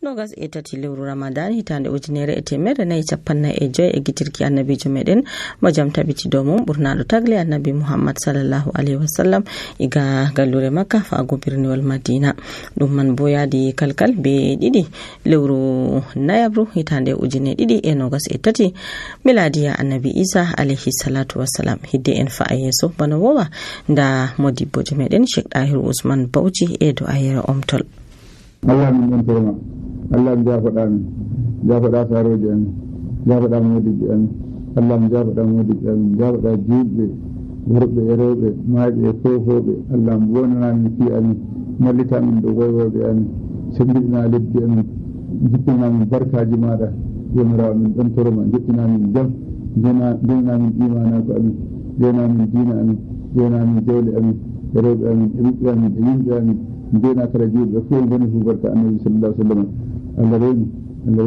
nogas e tati lewru Ramadan hitande ujunere e temere nayi capanna e joy e gitirki annabijo meɗen mo jam tabiti dow mum ɓurnaɗo tagle annabi Muhammad sallallahu alaihi wasallam iga gallure Makka faago birniwol Madina. Ɗum man bo yaadi kalkal be ɗiɗi lewru nayabru hitande ujune ɗiɗi e nogas e tati miladiya annabi Isa alaihi salatu wassalam. Hidde en fa'a yeso bana wowa nda modibbojo meɗen Sheikh Dahiru Usman Bauchi e do ayere omtol. Allah min ɗon tema Allah mi jafoɗa saroji amin jafoɗa modibɓe amin Allah mi jafoɗa modibɓe amin jafoɗa juɓɓe worɓe e rewɓe maaɓe e fofoɓe Allah mi wonanamin fi amin mallitamin ɗo woywoɓe amin sembiɗina leddi amin jippinamin barkaji maɗa yomirawo min ɗon toroma jippinamin jam jenamin imanago amin jenamin dina amin jenamin jawle amin e rewɓe amin e ɓiɓɓe amin e yimɓe amin jena kala juɓɓe fof goni fu barka annabi sallallahu alaihi wasallam Allah rewmi Allah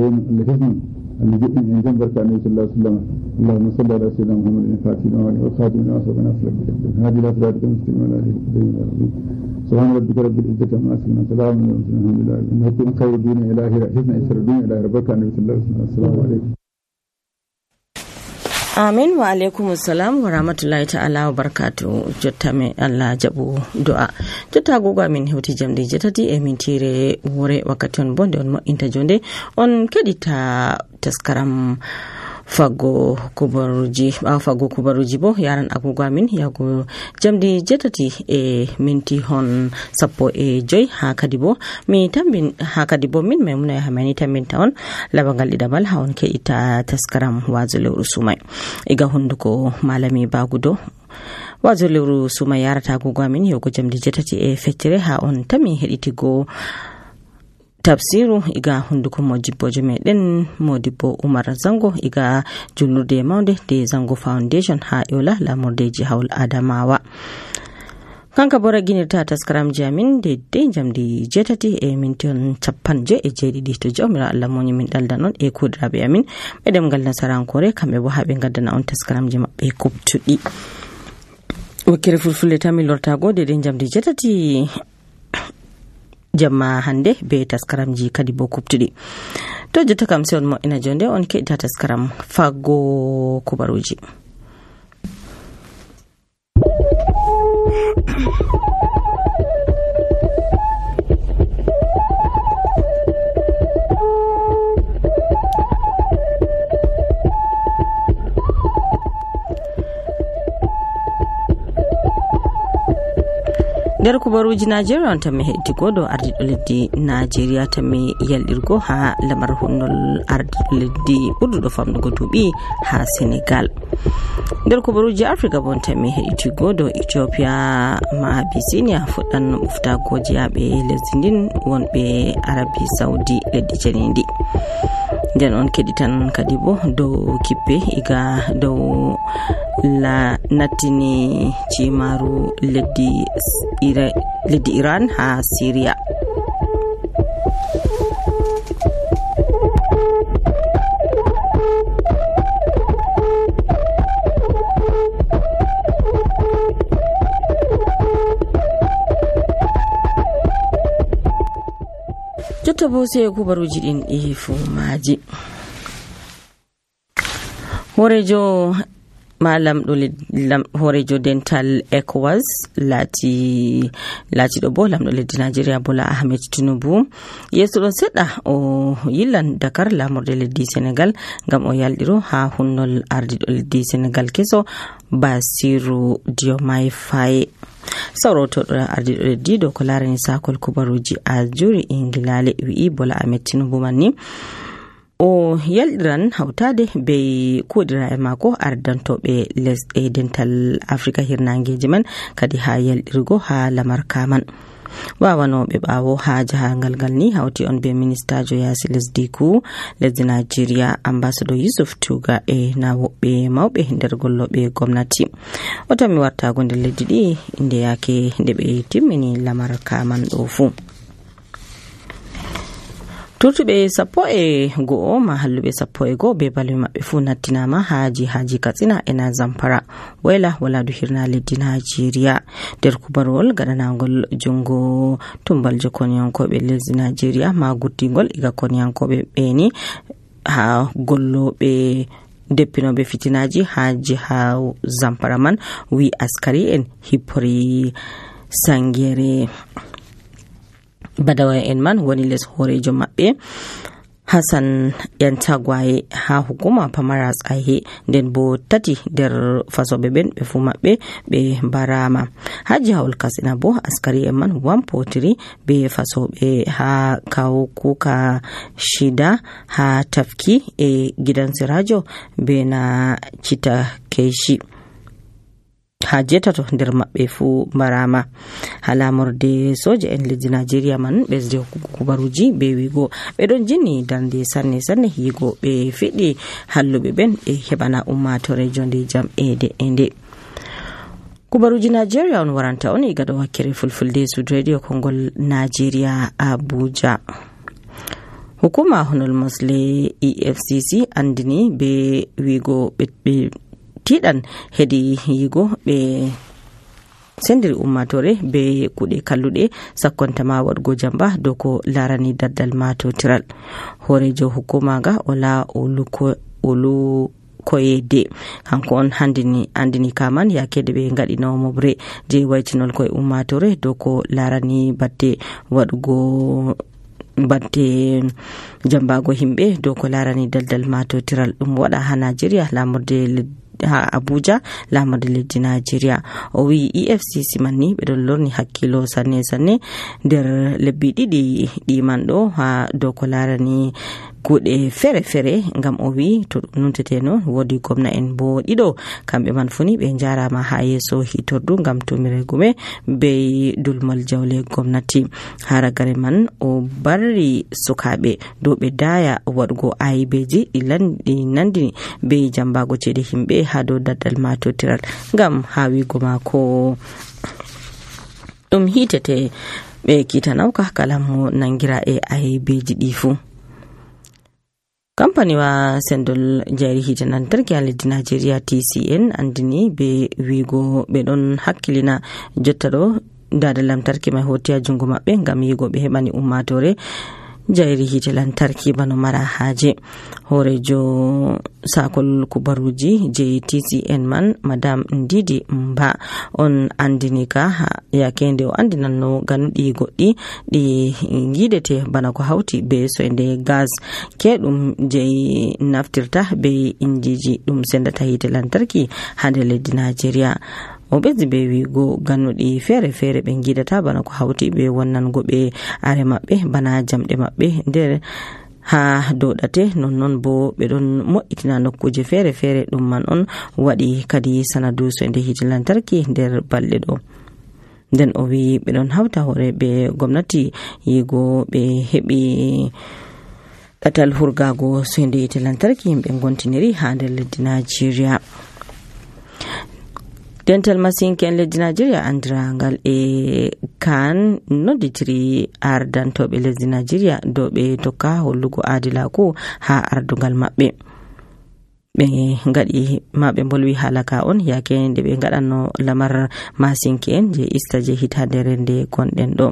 hefni Allah joɗɗini en jam barka annabi sallallahu alaihi wasallam Allahumma salli ala sayyidina Muhammadin fatina wa khatimina wa sabana sallallahu hadi la sirata mustaqim ala alihi wa sahbihi subhana rabbika rabbil izzati amma yasifun salamun ala mursalin alhamdulillah innakum khayru dini ilahi rahizna isradun ila barka annabi sallallahu alaihi wasallam assalamu alaikum. Amin wa alaikum assalam wa rahmatullahi ta'ala wa barakatuh. Jotta me Allah jabu du'a jotta goga min hewti jamde jetati e min tire wore wakkati on bonde on mo inta jonde on kedita taskaram fago kubaruji bo yaran agogo amin yago jamdi jetati e minti hon sappo e joy ha kadi bo min maimuna ya hamani tambinta on labangal didabal ha on ke ita taskaram wazo lewru sumai iga hunduko malami bagudo wazo lewru sumai yarata agogo amin yago jamdi jetati e feccere ha on tami heditigo tafsiru iga hunduko modibbojo meɗen modibbo Umar Zango iga julnurde maunde de Zango Foundation ha yola lamordeji hawl Adamawa. Kanka bora ginirta taskaram jamin de jamdi jetati e minton capanje e jeɗiɗi to jawmira Allah moni min daldanon e kudrabe amin ɓedem ngal nasarankore kamɓe bo haɓe gaddana on taskaramji maɓɓe kubtuɗi. Wakkere fulfulde tami lortago de jamdi jetati jamma hande be taskaramji kadi bo kubtuɗi to jotta kam se on mo'ina jonde on keɗita taskaram fago kubaruji. nder kubaruji Najeriya on tammi heddigo do ardiɗo leddi Najeriya tammi yalɗirgo ha lamar honnol ardiɗo leddi ɓurduɗo famɗugo duuɓi ha Senegal. nder kubaruji Afrika bon tammi heddigo do Ethiopia ma Abyssinia fuɗɗan uftagoji yaɓe lesdi ndin wonɓe Arabi Saudi leddi janindi. nden on keɗitan kadi bo dow kippe iga dow la nattini cimaru leddi Iran ha Syria. jotta bo sai kubaruji din e fumaji horejo malam horejo dental ECOWAS lati do bo lamdo leddi Nigeria Bola Ahmed Tinubu yeso do sedda o yillan Dakar lamorde leddi Senegal ngam o yaldiro ha hunnol ardido leddi Senegal keso Basiru Diomaye Faye. Sawroto ardido leddi do ko larani sakol kubaruji a juri Ingilale wi Bola Ahmed Tinubu manni o yaldiran hautade be kodira e mako ardantoɓe lesɗe dental Africa hirnangeji man kadi ha yaldirgo ha lamar kaman. wawanoɓe ɓawo ha jahangal ngal ni hawti on be ministajo yasi lesdi ku lesdi Nigeria ambassador Yusuf Tuga e na woɓɓe mawɓe nder golloɓe gomnati o tammi wartago nder leddi ɗi inde yake nde ɓe timmini lamar kaman ɗo fu. turtuɓe 11 ma halluɓe 11 be balwi maɓɓe fu nattinama haji katsina ena zamfara wayla waladu hirna leddi Najeriya nder kubarwol gaɗanagol jungo tumbalje koniyankoɓe lesdi Najeriya ma guttigol iga koniyankoɓe ɓeni ha golloɓe deppinoɓe fitinaji ha jiha zamfara man wi askari en hippori sangere badawa en man woni les horejo maɓɓe Hassan Yantagwaye ha hukuma pamara tsaye nden bo tati nder fasoɓe ɓen ɓe fu maɓɓe ɓe barama ha jihawol Katsina bo askari en man wampotiri be fasoɓe ha kawo kuka shida ha tafki e gidan sirajo be na cita keishi ha jetato nder maɓɓe fu barama ha lamorde soja en leddi Najeriya man ɓesde kubaruji be wigo ɓe ɗon jinni darde sanne yigo ɓe fiɗi halluɓe ɓen ɓe heɓana ummatore jonde jam ede kubaruji Najeriya on waranta on iga ɗo wakkere fulfulde Sud Radio Kongol Najeriya Abuja. Hukuma honol mosle EFCC andini be wigo ɓe tiɗan hedi yigo ɓe sendiri ummatore be kuɗe kalluɗe sakkontama waɗgo jamba dow ko larani daddal matotiral. Horejo hukuma ga ola olu koyede kanko on andini kaman yakede ɓe gaɗino mobre je waytinol koye ummatore dow ko larani batte jambago himɓe dow ko larani daddal matotiral ɗum waɗa ha Najeriya lamurde ha Abuja lamurde leddi Najeriya. O wi EFCC manni ɓe ɗon lorni hakkilo sanne nder lebbi ɗiɗi ɗiman ɗo ha dow ko larani kuɗe fere ngam o wi to nuntete no wodi gwamna en bo ɗiɗo kamɓe man funi ɓe jarama ha yeso hitordu ngam tumire gume be dulmal jawle gwamnati. Haragare man o barri sukaɓe dow ɓe daya waɗgo ayibeji ɗi nandini be jambago cede himɓe ha dow daddal matotiral ngam ha wigo mako ɗum hitete ɓe kitanawka kala mo nangira e ayibeji ɗi fu. Kampaniwa sendol jayri hite lantarki ha leddi Najeriya TCN andini be wigo ɓe ɗon hakkilina jotta ɗo dada lantarki mai hoti ha jungo maɓɓe ngam yigo ɓe heɓani ummatore jayri hite lantarki bano mara haje. Horejo sakol kubaruji je TCN man madam Ndidi Mba on andini ka yakende o andinanno ganuɗi goɗɗi ɗi gidete bana ko hauti be soyde gas keɗum je naftirta be injiji ɗum sendata hite lantarki ha nder leddi Najeriya. O ɓesdi be wigo gannuɗi fere ɓe gidata bana ko hauti be wonnango ɓe are maɓɓe bana jamɗe maɓɓe nder ha doɗate nonnon bo ɓe ɗon mo'itina nokkuje fere ɗum man on waɗi kadi sanadu soyde hite lantarki nder balɗe ɗo. Nden o wi ɓe ɗon hawta hore be gwamnati yigo ɓe heɓi ɗatal hurgago soyde hite lantarki himɓe gontiniri ha nder leddi Najeriya. Dental masinken leddi Najeriya andirangal e kan nodditiri ardantoɓe lesdi Najeriya dow ɓe tokka hollugo adilaku ha ardungal maɓɓe. Ɓe gaɗi maɓe bolwi halaka on yake nde ɓe gaɗanno lamar masinken je ista je hitadere nde gonɗen ɗo.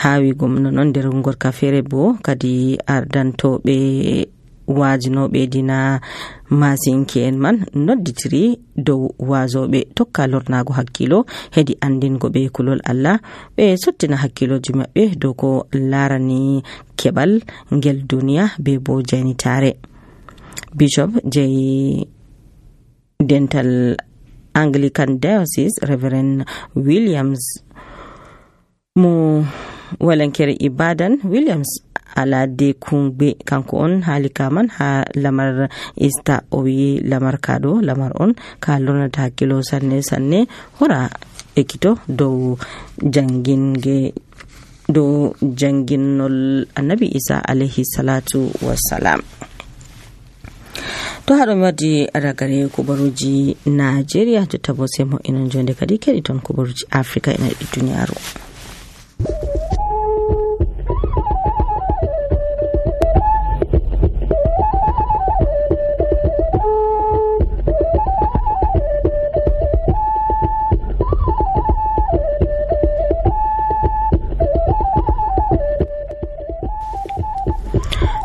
Ha wigo non nder gorka fere bo kadi ardantoɓe wajinoɓe dina masinke en man nodditiri dow wazoɓe tokka lornago hakkilo hedi andingo ɓe kulol Allah ɓe sottina hakkiloji maɓɓe dow ko larani keɓal ngel duniya be bo jaynitare. Bishop je Dental Anglican Diocese Reverend Williams mo walankere Ibadan Williams alade kumbe kanko on halika man ha lamar ista o wi lamar kado lamar on ka lornata hakkilo sanne hora ekito dow janginnol annabi Isa alayhi salatu wassalam. To haɗo mi waddi ragare kubaruji Najeriya jotta bo sai mo inon jonde kadi keɗi ton kubaruji Afrika ina ɗi duniyaru.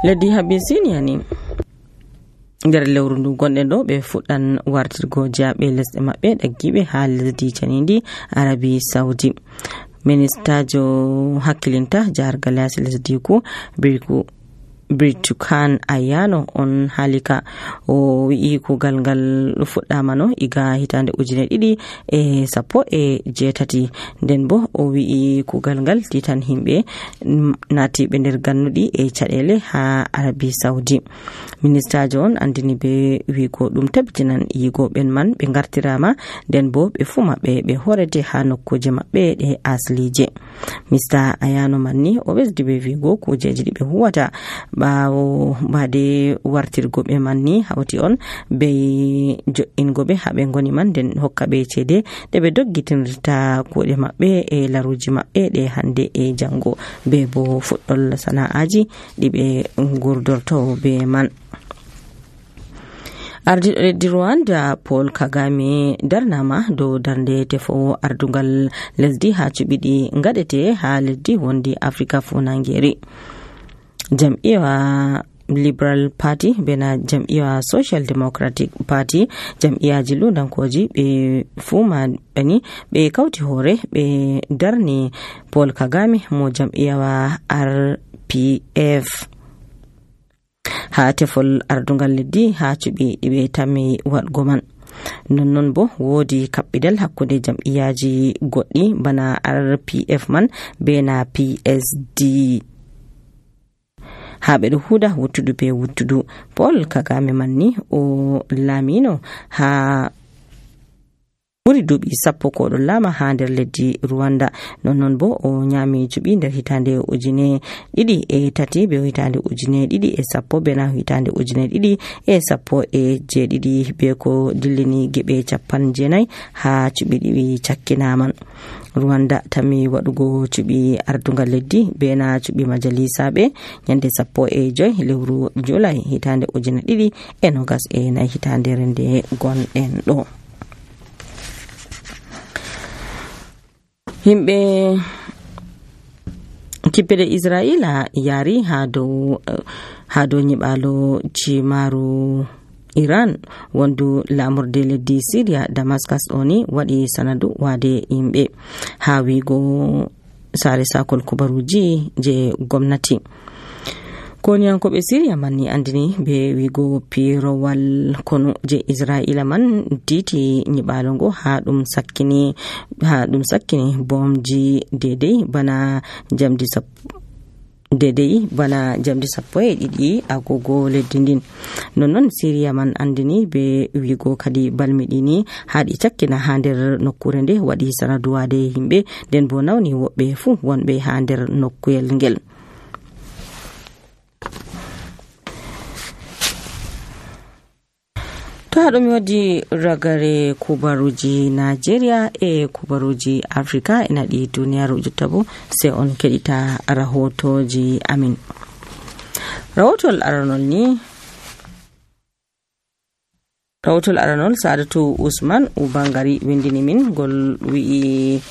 leddi Habisinia ni nder lewru ndu gonɗen ɗo ɓe fuɗɗan wartirgo jaaɓe lesɗe maɓɓe ɗaggiɓe ha lesdi canindi Arabi Saudi. Ministajo hakkilinta jahargal yasi lesdi ku Birtukan Ayano on halika o wi'i kugal ngal fuɗɗama no iga hitande 2018 nden bo o wi'i kugal ngal titan himɓe natiɓe nder gannuɗi e caɗele ha Arabi Saudi. Ministajo on andini be wigo ɗum tabitinan yigoɓen man ɓe gartirama nden bo ɓe fu maɓɓe ɓe horete ha nokkuje maɓɓe ɗe aslije. Mr Ayano manni o ɓesdi be wigo kujeji ɗi ɓe huwata ɓawo bade wartirgo ɓe manni hawti on be jo'ingo ɓe haɓe ngoni man nden hokka ɓe cede ɗe ɓe doggitinirta kuɗe maɓɓe e laruji maɓɓe ɗe hande e jango be bo fuɗɗol sana'aji ɗi ɓe gurdorto be man. Ardiɗo leddi Rwanda Paul Kagame darnama dow darnde tefowo ardungal lesdi ha cuɓiɗi gaɗete ha leddi wondi Afrika funangeri. Jam'iyya Liberal Party bena jam'iyya Social Democratic Party jam'iyyaji ludankoji ɓe fuma bani ɓe kauti hore ɓe darni Paul Kagame mo jam'iyya RPF ha tefol ardungal leddi ha cuɓi ɗiɓe tammi waɗgo man. Nonnon bo wodi kaɓɓidal hakkude jam'iyyaji goɗɗi bana RPF man bena PSD ha ɓeɗo huda wuttudu be wuttudu. Paul Kagame manni o lamino ha ɓuri duuɓi 10 ko ɗon lama ha nder leddi Rwanda. Nonnon bo o nyami cuɓi nder hitande 2003 be hitande 2010 bena hitande 2017 be ko dillini geɓe 49 ha cuɓi ɗiɗi cakkinaman. Rwanda tammi waɗugo cuɓi ardungal leddi bena cuɓi majalisaɓe nyande 15 lewru Julai hitande 2024 hitande rende gonɗen ɗo. Himɓe kippede Israila yari ha dow nyiɓalo cimaru Iran wondu lamurde leddi Syria Damascus oni waɗi sanadu wade yimɓe ha wigo sare sakol kubaruji je gwamnati. Koniyankoɓe Syria manni andini be wigo pirowal konu je Israila man titi nyiɓalo ngo ha ɗum sakkini bomji dedei bana jamdi 12 agogo leddi ndin. Nonnon Syria man andini be wigo kadi balmiɗini haɗi cakkina ha nder nokkure nde waɗi sanaduwade himɓe nden bo nawni woɓɓe fu wonɓe ha nder nokkuyel ngel. To haɗum wadi ragare kubaruji Nigeria e kubaruji Africa e naɗi duniyaru jotta bo sai on keɗita rahotoji amin. Rawotol aranol Sadatu Usman Ubangari windini min gol wi'i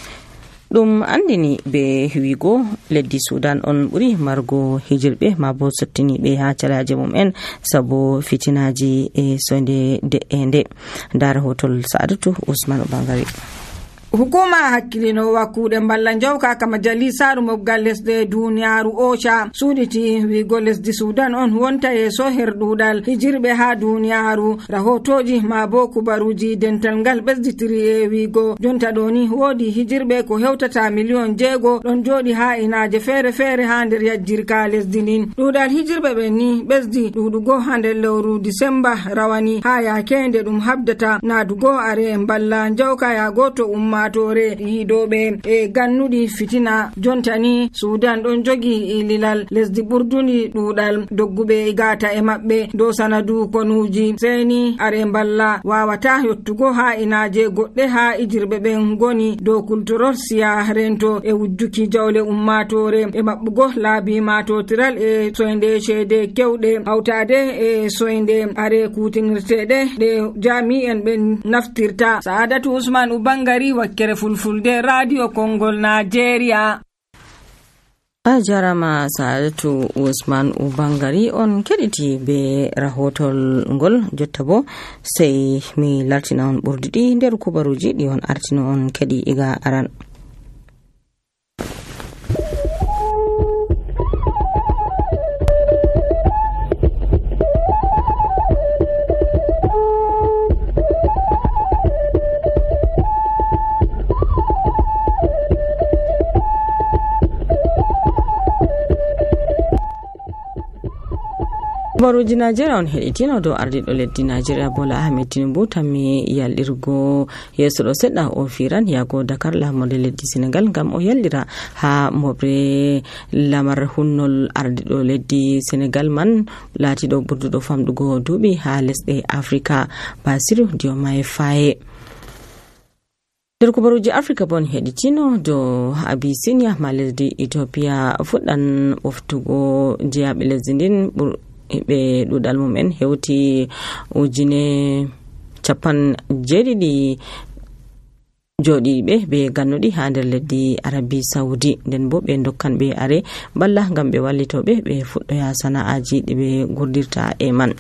ɗum andini be wigo leddi Sudan on ɓuri margo hijirɓe ma bo sottiniɓe ha calaje mum'en sabo fitinaji e sonde de'ende. Nda rahoton Sadatu Usman Ubangari. Hukuma hakkilinowa kuuɗe mballa jawka ka majalisaru mobgal lesɗe duniyaru OCHA suɗiti wigo lesdi Sudan on wonta yeso herɗuɗal hijirɓe ha duniyaru. Rahotoji ma bo kubaruji dental ngal ɓesditiri e wigo jonta ɗoni wodi hijirɓe ko hewtata 6 million ɗon joɗi ha inaje fere fere ha nder yajjirka lesdi ndin. ɗuɗal hijirɓe ɓen ni ɓesdi ɗuɗugo ha nder lewru Disemba rawani ha yakende ɗum habdata nadugo are mballa jawka yago to ummatore yidoɓe e gannuɗi fitina. Jontani Sudan ɗon jogi ililal lesdi ɓurduni ɗuɗal dogguɓe gata e maɓɓe dow sanadu konuji. Seni are mballa wawata yottugo ha inaje goɗɗe ha ijirɓe ɓen goni dow kultorol siya rento e wujjuki jawle ummatore e maɓɓugo laabi matotiral e soyde cede kewɗe hawtade e soyde are kutinirteɗe ɗe jami'en ɓen naftirta. Saadatu Usman Ubangari, Wakkere Fulfulde, Radio Kongol, Nigeria. a jarama Sa'adatu Usman Ubangari on keɗiti be rahotol ngol. Jotta bo sai mi lartina on ɓurdiɗi nder kubaruji ɗi on artino on keɗi iga aran. Kubaruji Najeriya on heɗitino dow ardiɗo leddi Najeriya Bola Ahmed Tinubu tammi yalɗirgo yeso ɗo seɗɗa o firan yago Dakar lamorde leddi Senegal ngam o yallira ha mobre lamar hunnol ardiɗo leddi Senegal man latiɗo ɓurduɗo famɗugo duuɓi ha lesɗe Afrika Basiru Diomaye Faye. nder kubaruji Afrika bon heɗitino dow Abyssinia ma lesdi Ethiopia fuɗɗan ɓoftugo jeyaɓe lesdi ndin ɓe ɗuɗal mumen hewti 17,000 joɗiɓe ɓe gannuɗi ha nder leddi Arabi Saudi. nden bo ɓe dokkan ɓe are balla ngam ɓe wallitoɓe ɓe fuɗɗoya sana'aji ɗi ɓe gurdirta e man.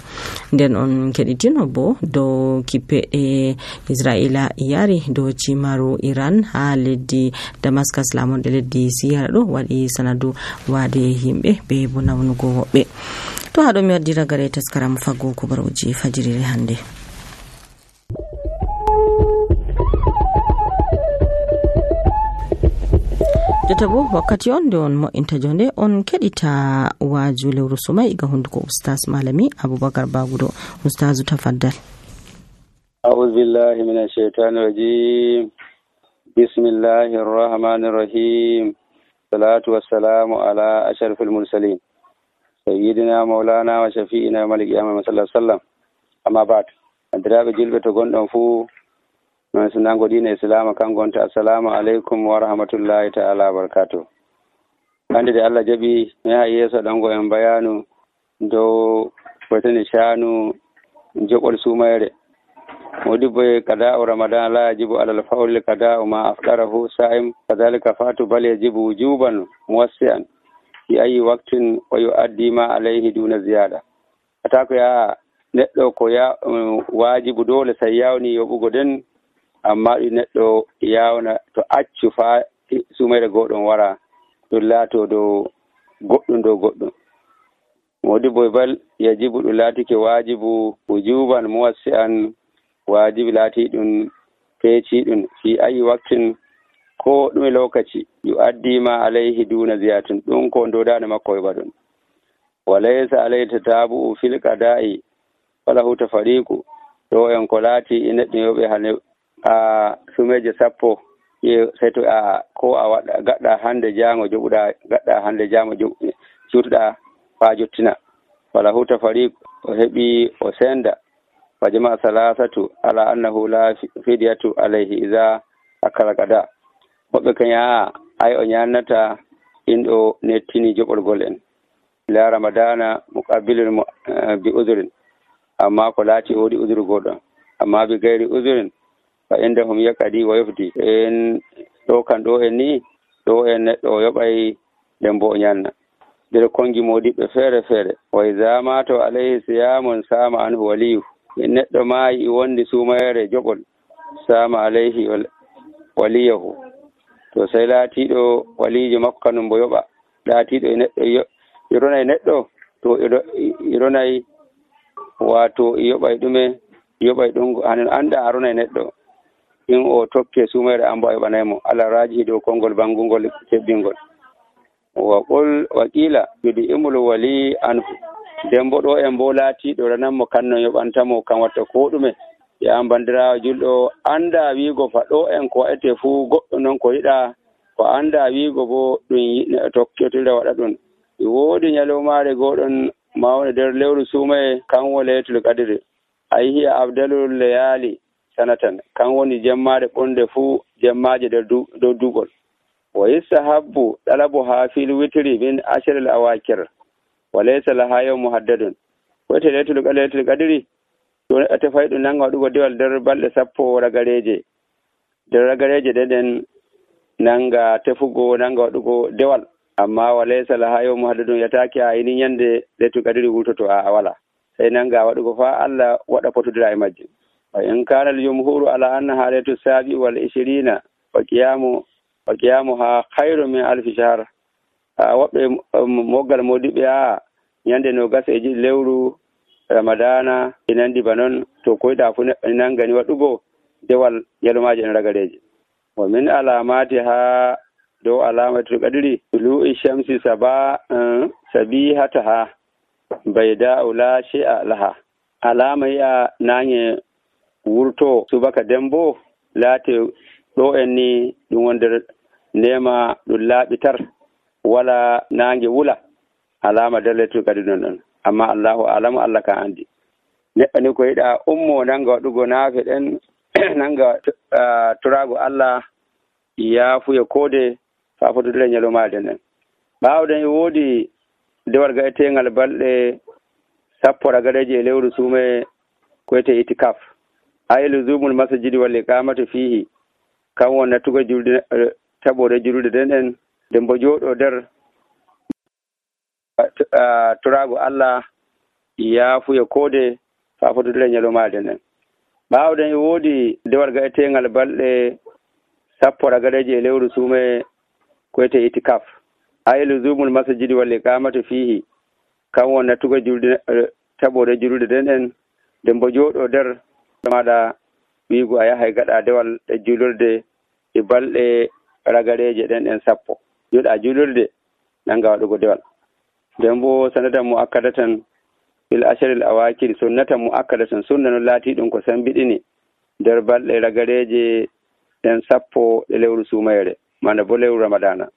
nden on keɗitino bo dow kippeɗe Israila yari dow cimaru Iran ha leddi Damascus lamonɗe leddi Siyara ɗo waɗi sanadu wade himɓe be bo nawnugo woɓɓe. to haɗo mi waddira gare taskaram faggo kubaruji fajirire hande. jotta bo wakkati on nde on mo'inta jonde on keɗita waju lewru sumai ga hunduko Ustaz Malami Abubakar Bagudo. Ustazu tafaddal. أعوذ بالله من الشيطان الرجيم بسم الله الرحمن الرحيم الصلاة والسلام على أشرف المرسلين سيدنا مولانا وشفيئنا ملك يوم صلى الله عليه وسلم أما بعد أدراب جلبة تقول فو من سنانغو دين الإسلام كان قلت السلام عليكم ورحمة الله تعالى وبركاته. عندي الله جبي ما يسا دانغو ينبيانو دو فتن شانو جوكول سوميري مودي كداء رمضان لا يجب على الفور كداء ما أفطره صائم كذلك فات بل يجب وجوبا موسعا في أي وقت ويؤدي ما عليه دون زيادة. أتاكو يا neɗɗo ko ya waajibu dole sai yawni yoɓugo den amma ɗi neɗɗo yawna to accu fa sumayre goɗɗon wara ɗum laato dow goɗɗum modibo bal yajibu ɗum laatike waajibu wujuban muwassi'an waajibi laati ɗum peeci ɗum fi ayi waktin ko ɗume lokaci yu addima alayhi duna ziyatun ɗum ko dodane makko heɓa ɗum walaysa alayhi tatabu'u fil qada'i falahu tafariqu ɗo en ko laati neɗɗo yoɓe hane a sumeje sappo sai to a ko a waɗa gaɗɗa hande jango joɓuɗa gaɗɗa hande jango cutuɗa fa jottina falahu tafariqu o heɓi o senda fajama salasatu ala annahu la fidyatu alayhi idha akala qada woɓɓe kanya ay o nyannata inɗo nettini joɓolgol en ila ramadana muqabilun bi udhrin amma ko laati woodi udhru goɗɗo amma bi gayri udhrin fa indahum yaqadi wa yufdi en ɗo kan ɗo en ni ɗo en neɗɗo yoɓay nden bo o nyanna nder kongi modiɓɓe feere feere wa idha mata alayhi siyamun sama anhu waliyu neɗɗo maayi wondi sumayere joɓol sama alayhi waliyahu to sai laatiɗo walijo makko kanum bo yoɓa laatiɗo e neɗɗo ironay neɗɗo to ironay wato yoɓay ɗume yoɓay ɗum hanen anda aronay neɗɗo in o tokke sumayere ambo a yoɓanaymo ala rajihi dow konngol bangungol tebbingol wa qul wa qila yudi imul wali anhu nden bo ɗo en bo laatiɗo rananmo kanno yoɓantamo kan watta ko ɗume ya bandirawo julɗo anda wiigo fa ɗo en ko waɗete fuu goɗɗo noon ko yiɗa ko anda wiigo bo ɗum tokketira waɗa ɗum woodi ñalowmaare goɗon mawne nder lewru suumaye kan wo laylatul qadri ay hiya abdalul layali sanatan kan woni jemmare ɓonde fuu jemmaje dow dugol wa yustahabbu talabuha fil witri min ashril awakir wa laysa laha yawmun muhaddadun wote laylatul qadri to ate fayɗum nanga waɗugo dewal nder balɗe sappo ragareje nder ragareje ɗeɗen nanga tefugo nanga waɗugo dewal amma walaysa laha yawmun muhaddadun yataki a ini nyande Laylatul Qadri wurtoto a wala sai nanga waɗugo fa Allah waɗa potodira e majjum. wa in kana al-jumhuru ala annaha laylatus sabi wal 20 wa qiyamuha khayrun min alfi shahr. Woɓɓe moggal modiɓe nyande no gasa e lewru ramadana e nandi banon to koyɗa fu nangani waɗugo dewal yalomaji en ragareje. wa min alamatiha dow alamatul qadri tulu'i shamsi sabihataha bayda la shay'a laha. Alama ya nange wurto subaka dembo late ɗo en ni ɗum wonder nema ɗum laaɓitar wala nange wula alama daletul kadi non amma Allahu alamu Allah ka andi. Neɗɗo ni ko yiɗa ummo nanga waɗugo naafe ɗen nanga turago Allah yaafuye koode fa fotodira ñalomade nden. Ɓaawɗen e woodi dewal gaetengal balɗe 10 ragareje e lewru suume koyete itikaf. Luzumul masjidi wal iqamatu fihi kan won natugo julde tabore julde den nden bo jooɗo nder turago Allah yaafuye koode fa fotodira ñalomade nden. Ɓaawɗen e woodi dewal gaetengal balɗe 10 ragareje e lewru suume koyete itikaf. Luzumul masjidi wal iqamatu fihi kan won natugo julde tabore julde den nden bo jooɗo nder maɗa wiigo a yahay gaɗa dewal e julurde e balɗe ragareje ɗen 10 joɗa julurde nanga waɗugo dewal. nden bo sanatan mu akkadatan bil asharil awakir sunnatan mu akkadatan sunna no laati ɗum ko sambiɗini nder balɗe ragareje ɗen 10 e lewru sumayre mana bo lewru ramadana.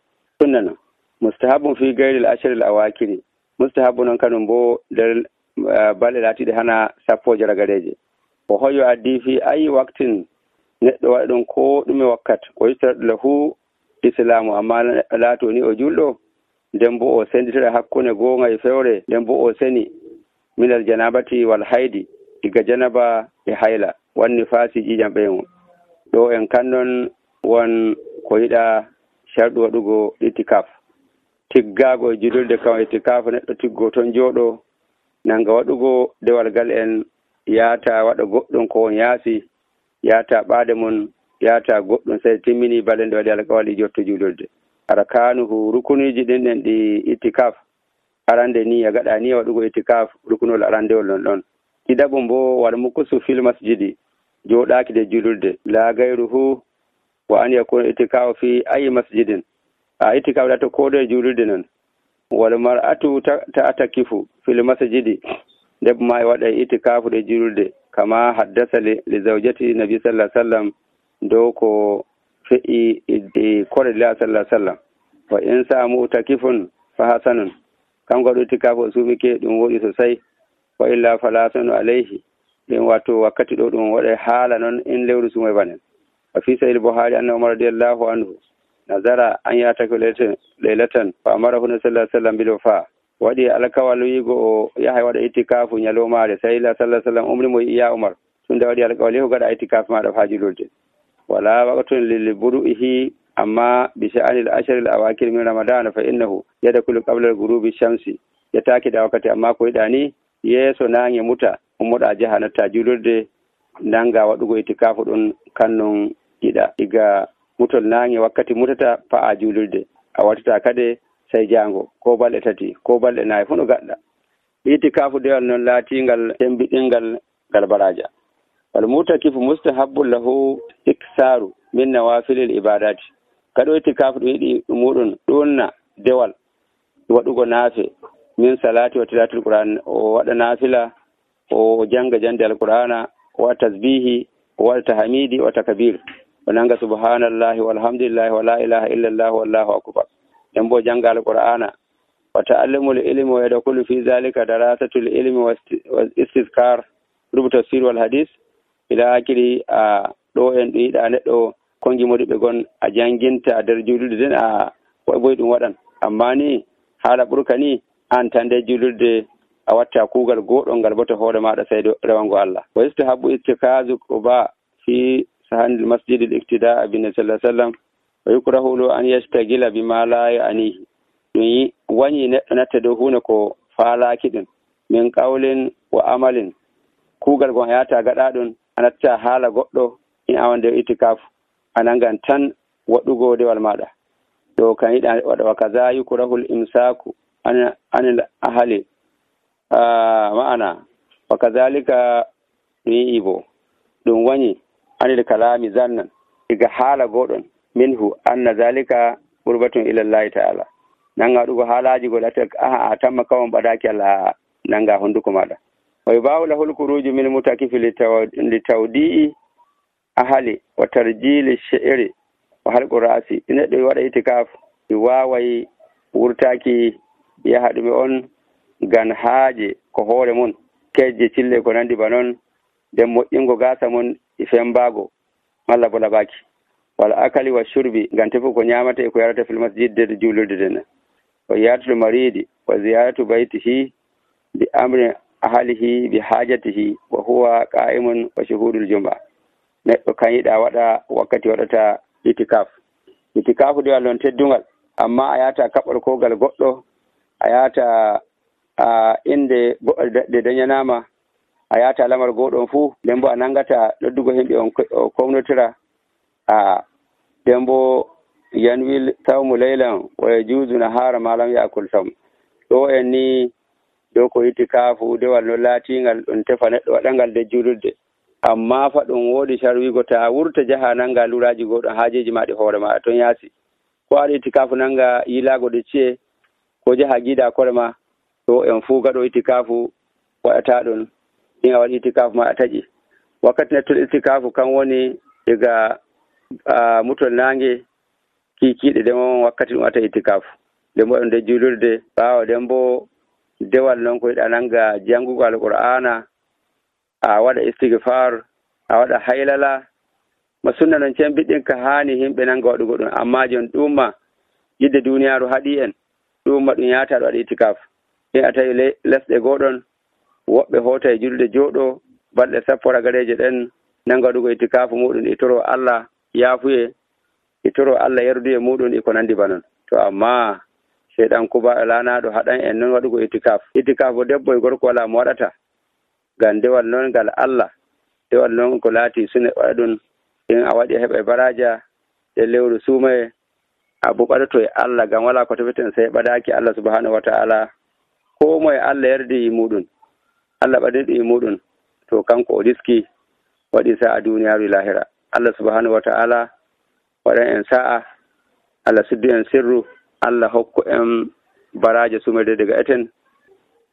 sunna no mustahabun fi gayril asharil awakiri mustahabu non kanum bo nder balɗe laatiɗe hana 10 ragareje. o hoyo addi fi ayi waktin neɗɗo waɗa ɗum ko ɗume wakkat o yittat lahu islamu amma laato ni o julɗo nden bo o senditira hakkunde goonga e fewre nden bo o seni minal janabati wal haydi diga janaba e hayla wanni faasi ƴiƴam ɓeymo. ɗo en kannon won ko yiɗa sharɗu waɗugo itikaf tiggaago e julurde kam itikaf neɗɗo tiggo toon jooɗo nanga waɗugo dewal gal en yaata waɗa goɗɗum ko won yaasi yaata ɓaade mon yaata goɗɗum sai timmini balɗe nde waɗi alkawali jotto julurde. arkanuhu rukuniji ɗin ɗi itikaf arande ni a gaɗa ni waɗugo itikaf rukunol arandewol non ɗon. ɗiɗaɓum bo wal mukusu fil masjidi jooɗaaki de julurde la gayruhu wa an yakuna itikafu fi ayi masjidin itikaf ɗa to koɗo e julurde non. wal mar'atu ta'takifu fil masjidi debbo ma e waɗa itikafu ɗe julurde kama haddasa li zawjati nabi sallallahu alaihi wasallam dow ko fe'i e kore la sallallahu alaihi wasallam. wa in sa mu'takifun fa hasanun kanko waɗo itikafu sumike ɗum woɗi sosai wa illa fala sanu alayhi ɗin wato wakkati ɗo ɗum waɗa haala noon in lewru sumay banen. wa fi sahih buhari anna umar radiyallahu anhu nazara an yataki laylatan fa amarahu sallallahu alaihi wasallam bil wafa waɗi alkawal wiigo o yahay waɗa itikafu ñalowmaare sai la sallallahu alaihi wasallam umri mo iya umar tunda waɗi alkawal yehu gaɗa itikafu maɗa ha julurde. wala waqtun lil buru'ihi amma bi sha'anil asharil awakir min ramadana fa innahu yadkhulu qabla al-ghurubi shamsi yataki da wakkati amma ko yiɗani yeeso nange muta ummoɗa jaha natta julurde nanga waɗugo itikafu ɗum kannon yiɗa iga mutol nange wakkati mutata fa'a julurde a wattata kade sai jango ko balɗe 3 ko balɗe 4 fu no gaɗɗa. itikafu dewal noon laatingal tembiɗingal ngal baraja. wal mutakifu mustahabbun lahu iksaru min nawafilil ibadati kaɗo itikafu ɗum yiɗi muɗum ɗonna dewal waɗugo naafe min salati wa tilatul qur'an o waɗa nafila o janga jande alqur'ana o waɗa tasbihi o waɗa tahmidi wa takbir o nanga subhanallahi walhamdulillahi wa la ilaha illallah wallahu akbar nden bo janga alqur'ana wa ta'allamul ilmi wa yadkhulu fi zalika darasatul ilmi wa istizkar rubu tafsir wal hadith ila akiri ɗo en ɗo yiɗa neɗɗo kongi modi ɓe gon a janginta nder julurde den a boy ɗum waɗan amma ni haala ɓurka ni an tan nde julurde a watta kuugal goɗɗol ngal bota hoore maɗa sai rewango Allah. wa istahabu istikazu quba fi sahanil masjidil iktida'a bin sallallahu alaihi wasallam wa yukrahu an yastagila bima la ya'nihi ɗum wañi neɗɗo natta dow hunde ko faalaki ɗum min qawlin wa amalin kuugal gon a yata gaɗa ɗum a natta haala goɗɗo in awan nder itikafu a nangan tan waɗugo dewal maɗa ɗo kan yiɗa waɗa wa kaza yukrahul imsaku anil ahali ma'ana wa kazalika ɗum yi'i bo ɗum wañi anil kalami zannan diga haala goɗon minhu anna zalika qurbatun ila llahi ta'ala nanga waɗugo haalaji go lata a tamma kawon ɓadaki Allah nanga honduko maɗa wa yubahu lahul khuruju min mutakifi li tawdi'i ahali wa tarjili shi'ri wa halqu ra'si neɗɗo waɗa itikaf wawai wurtaki yaha ɗume on gan haaje ko hoore mun kejje cille ko nandi ba noon nden moƴƴingo gasa mun fembago malla bo laɓaki wala akali wa shurbi ngam tefu ko ñamata e ko yarata fil masjid de julurde den wa yaratul maridi wa ziyaratu baytihi bi amri ahlihi bi hajatihi wa huwa qa'imun wa shuhudul jum'a neɗɗo kan yiɗa waɗa wakkati waɗata itikafu de wallon teddungal amma a yata kaɓɓol kogal goɗɗo a yata inde de dañanama a yata lamar goɗon fuu nden bo a nangata ɗoddugo himɓe on komnotira nden bo yanwil sawmu laylan wa yajuzu nahara ma lam yakul sawm ɗo en ni dow ko itikafu dewal no laatingal ɗum tefa neɗɗo waɗangal de julurde amma fa ɗum woodi sharwigo ta wurta jaha nanga luraji goɗon haajeji maɗi hoore ma ton yaasi ko aɗa itikafu nanga yilago de ciye ko jaha giida kore ma to en fuu gaɗo itikafu waɗata ɗum in a waɗi itikafu ma a taƴi wakkati nettol itikafu kan woni daga mutol nange kikiɗe demon wakkati ɗum wata itikafu nden bo ɗum de julurde ɓaawa nden bo dewal noon ko yiɗa nanga jangugo alqur'ana a waɗa istighfar a waɗa haylala ma sunna noon cembiɗɗin ka haani himɓe nanga waɗugo ɗum amma jon ɗumma yidde duniyaaru haɗi en ɗumma ɗum yaata ɗo waɗa itikaf in a tawi lesɗe goɗon woɓɓe hoota e julde jooɗo balɗe sappo ragareje ɗen nanga waɗugo itikafu muɗum e toro Allah yaafuye e toro Allah yerduye muɗum e ko nandi ba non to amma seyɗan kuba lanaɗo haɗan en noon waɗugo itikaf bo debbo e gorko wala mo waɗata ngam dewal noon ngal Allah dewal noon ko laati sune waɗa ɗum in a waɗi heɓa baraja e lewru suumaye a bo ɓaɗoto e Allah ngam wala ko tefeten sey ɓadaki Allah subhanahu wa ta'ala ko moye Allah yardi muɗum Allah ɓaɗiɗo e muɗum to kanko o riski waɗi sa'a duniyaaru lahira Allah subhanahu wa ta'ala waɗan en sa'a Allah suddu en sirru Allah hokku en baraja sumede daga eten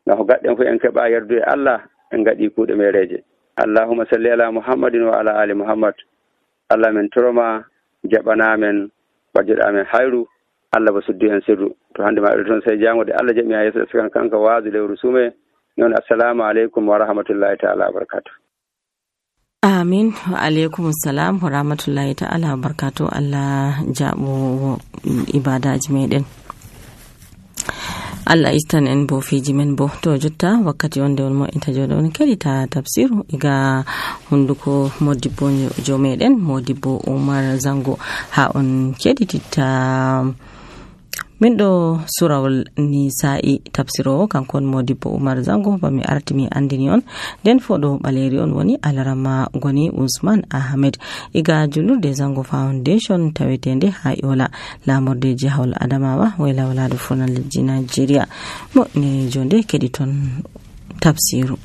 ngam ko gaɗɗen fu en keɓa yardu e Allah en gaɗi kuuɗe mereje Allahumma salli ala Muhammadin wa ala ali Muhammad Allah men toroma jaɓanamen ɓajoɗamen hayru Allah ba suddu en sirru to hande ma ɗo toon sey jangude Allah jaɓi ha yeeso sikan kanka waasu lewru suume noon assalamu aleykum wa rahmatullahi ta'ala wa barakatuh. Amin wa alaikum salam wa rahmatullahi ta'ala wa barakatuh. Allah jaɓo ibadaji meɗen Allah istan en bo fiji men bo to jotta wakkati wonde on mo inta joɗo on kelita tafsiru iga hunduko modibbo jo meɗen modibbo Umar Zango ha on kedititta min ɗo surawol nisa'i tafsirowo kankon modibbo Umar Zango bami artimi andini on nden foɗo ɓaleri on woni alarama goni Usman Ahmed iga julurde Zango Foundation tawetende ha Yola lamorde jihawol Adamawa wayla walado fonal leddi Nigeria mo ne jonde kedi ton tafsiru.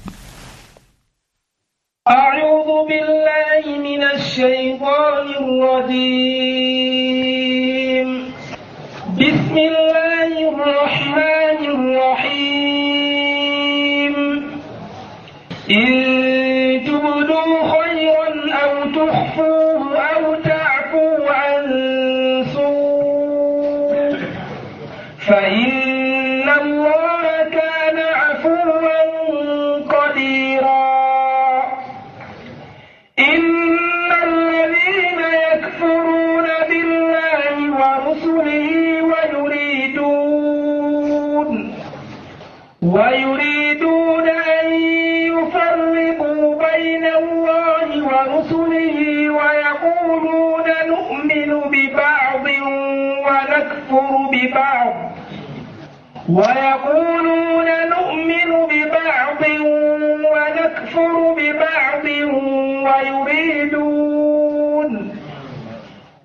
أعوذ بالله من الشيطان الرجيم بسم الله الرحمن الرحيم إن تبدوا خيرا أو تخفوه أو تعفوا عن سوء فإن الله كان عفوا قديرا إن الذين يكفرون بالله ورسله ويريدون أن يفرقوا بين الله ورسله ويقولون نؤمن ببعض ونكفر ببعض ويقولون نؤمن ببعض ونكفر ببعض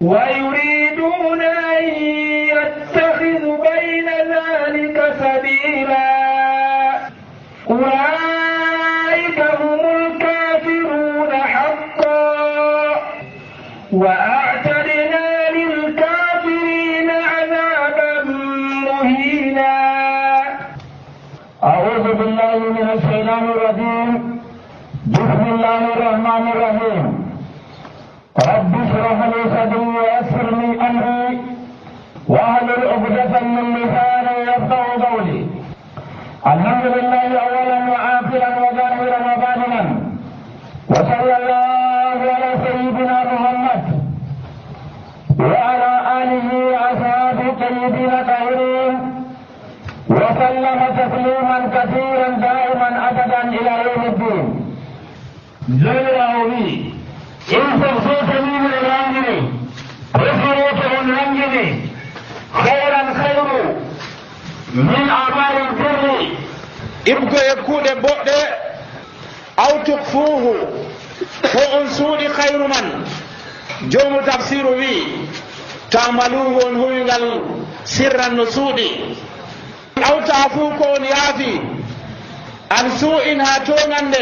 ويريدون أن يتخذوا بين ذلك سبيلا أولئك هم الكافرون حقا وأعتدنا للكافرين عذابا مهينا. أعوذ بالله من الشيطان الرجيم. بسم الله الرحمن الرحيم. رب اشرح لي صدري ويسر لي أمري واحلل عقدة من لساني يفقهوا قولي. الحمد لله أولا وآخرا وظاهرا وباطنا وصلى الله على سيدنا محمد وعلى آله وأصحابه الطيبين الطاهرين وسلم تسليما كثيرا دائما أبدا إلى يوم الدين. جلاله إن تغفوتني من الأنجلي وفروته الأنجلي خيرا خير من أعمال البر إبقى يكون بؤد أو تخفوه فأن سود خير من جوم تفسير بي تعملوه هو سرا نسود أو تعفوكون يافي عن سوء هاتونان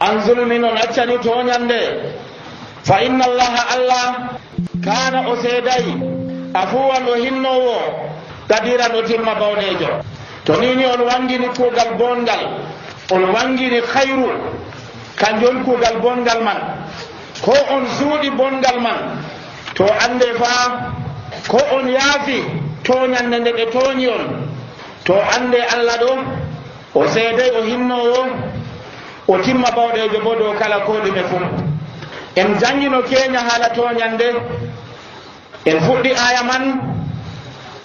عن ظلم أتشني تونان فإن الله كان أسيدي أفوا وهنو قديرا أتم بونيجو تنيني ألوانجيني كوغل بونغل ألوانجيني خير كان جون كوغل بونغل من ko on suudi bongal man to ande fa ko on yaafi toñande nde ɓe tooñi on to ande Allah ɗo o seedey o hinnowo o timma bawɗejo bo dow kala ko ɗume fuu. En jangino keña haala toñande en fuɗɗi aya man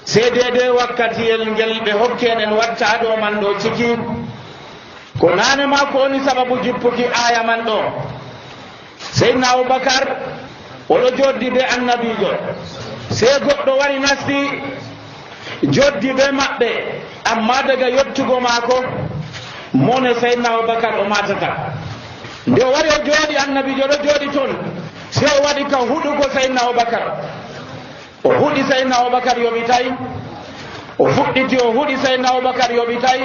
seedede wakkatiyel ngel ɓe hokken en watta ɗo man ɗo ciki ko nane ma ko woni sababu jippuki aya man ɗo. Seydina Abubakar oɗo joddi be annabijo sey goɗɗo wari nasti joddi be maɓɓe amma daga yottugo maako mone Seydina Abubakar o matata. nde o wari o jooɗi annabijo ɗo jooɗi toon sey o waɗi ka huɗugo Seydina Abubakar o huɗi Seydina Abubakar yoɓitay o fuɗɗiti o huɗi Seydina Abubakar yoɓitay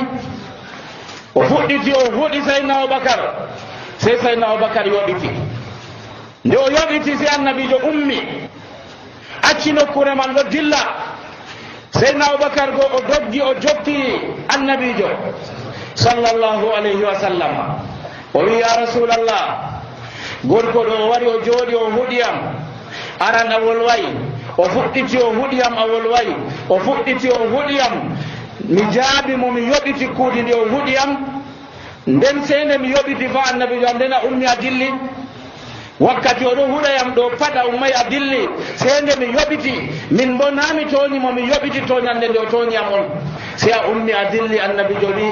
o fuɗɗiti o huɗi Seydina Abubakar sey Seydina Abubakar yoɓiti. nde o yoɓiti si annabijo ummi acci nokkure man ɗo dilla Seydina Abubakar go o doggi o joppi annabijo sallallahu alayhi wa sallam o wi ya rasulallah gorko ɗo o wari o jooɗi o huɗiyam aran a wolwayi o fuɗɗiti o huɗiyam a wolwayi o fuɗɗiti o huɗiyam mi jaabi mo mi yoɓiti kuudi ndi o huɗiyam nden sende mi yoɓiti fa annabijo am nden a ummi a dilli wakkati oɗo huɗayam ɗo paɗa ummay a dilli sende mi yoɓiti min bo nami toñimo mi yoɓiti toñande nde o toñiyam on si a ummi a dilli annabijo wi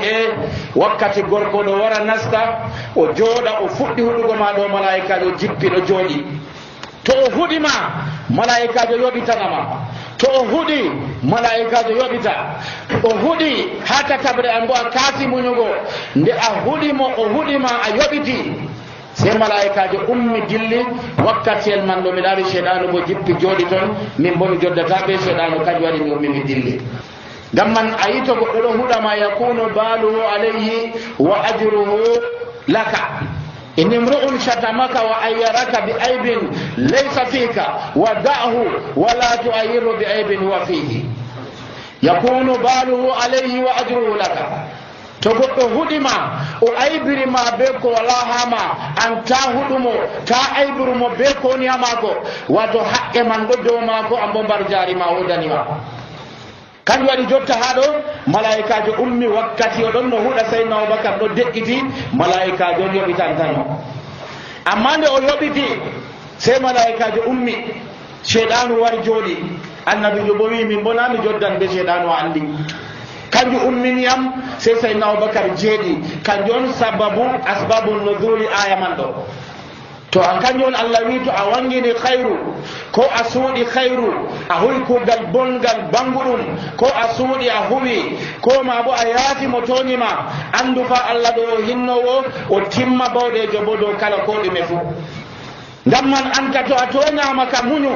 wakkati gorko ɗo wara nasta o jooɗa o fuɗɗi huɗugo ma ɗo malaikajo jippi ɗo jooɗi to o huɗima malaikajo yoɓitanama to o huɗi malaikajo yoɓita o huɗi ha takabre an bo a kaasi muñugo nde a huɗimo o huɗima a yoɓiti sey malaikajo ummi dilli wakkatiyel man ɗo mi ɗaari seeɗanu bo jippi jooɗi toon min bo mi joddata be seeɗanu kañum waɗi mi ummi mi dilli. ngam man a yi to goɗɗo ɗo huɗama yakunu baluhu alayhi wa ajruhu laka in imru'un shatamaka wa ayyaraka bi aibin laysa fika wa da'hu wa la tu'ayyiru bi aibin huwa fihi yakunu baluhu alayhi wa ajruhu laka. to goɗɗo huɗima o aybirima be ko wala hama an ta huɗumo ta aybirumo be ko woni ha maako wato haqqe man ɗo dow maako an bo mbar jarima wodanima. kanjum waɗi jotta ha ɗo malaikajo ummi wakkati oɗon no huɗa Seydina Abubakar ɗo deƴƴiti malaikajo on yoɓitantano amma nde o yoɓiti sey malaikajo ummi seeɗanu wari jooɗi annabijo bo wi min bona mi joddan be seeɗanu o andi kanjum umminiyam sey Seydina Abubakar jeeɗi kanjum on sababu asbabu nuzuli aya man ɗo to an kanjon Allah wi to a wangini khairu ko a suudi khairu a huwi kugal bongal banguɗum ko a suudi a huwi ko ma bo a yaati mo toñima andu fa Allah ɗo hinnowo o timma bawɗejo bo dow kala ko ɗume fu ngam man anka to a toñama ka muñu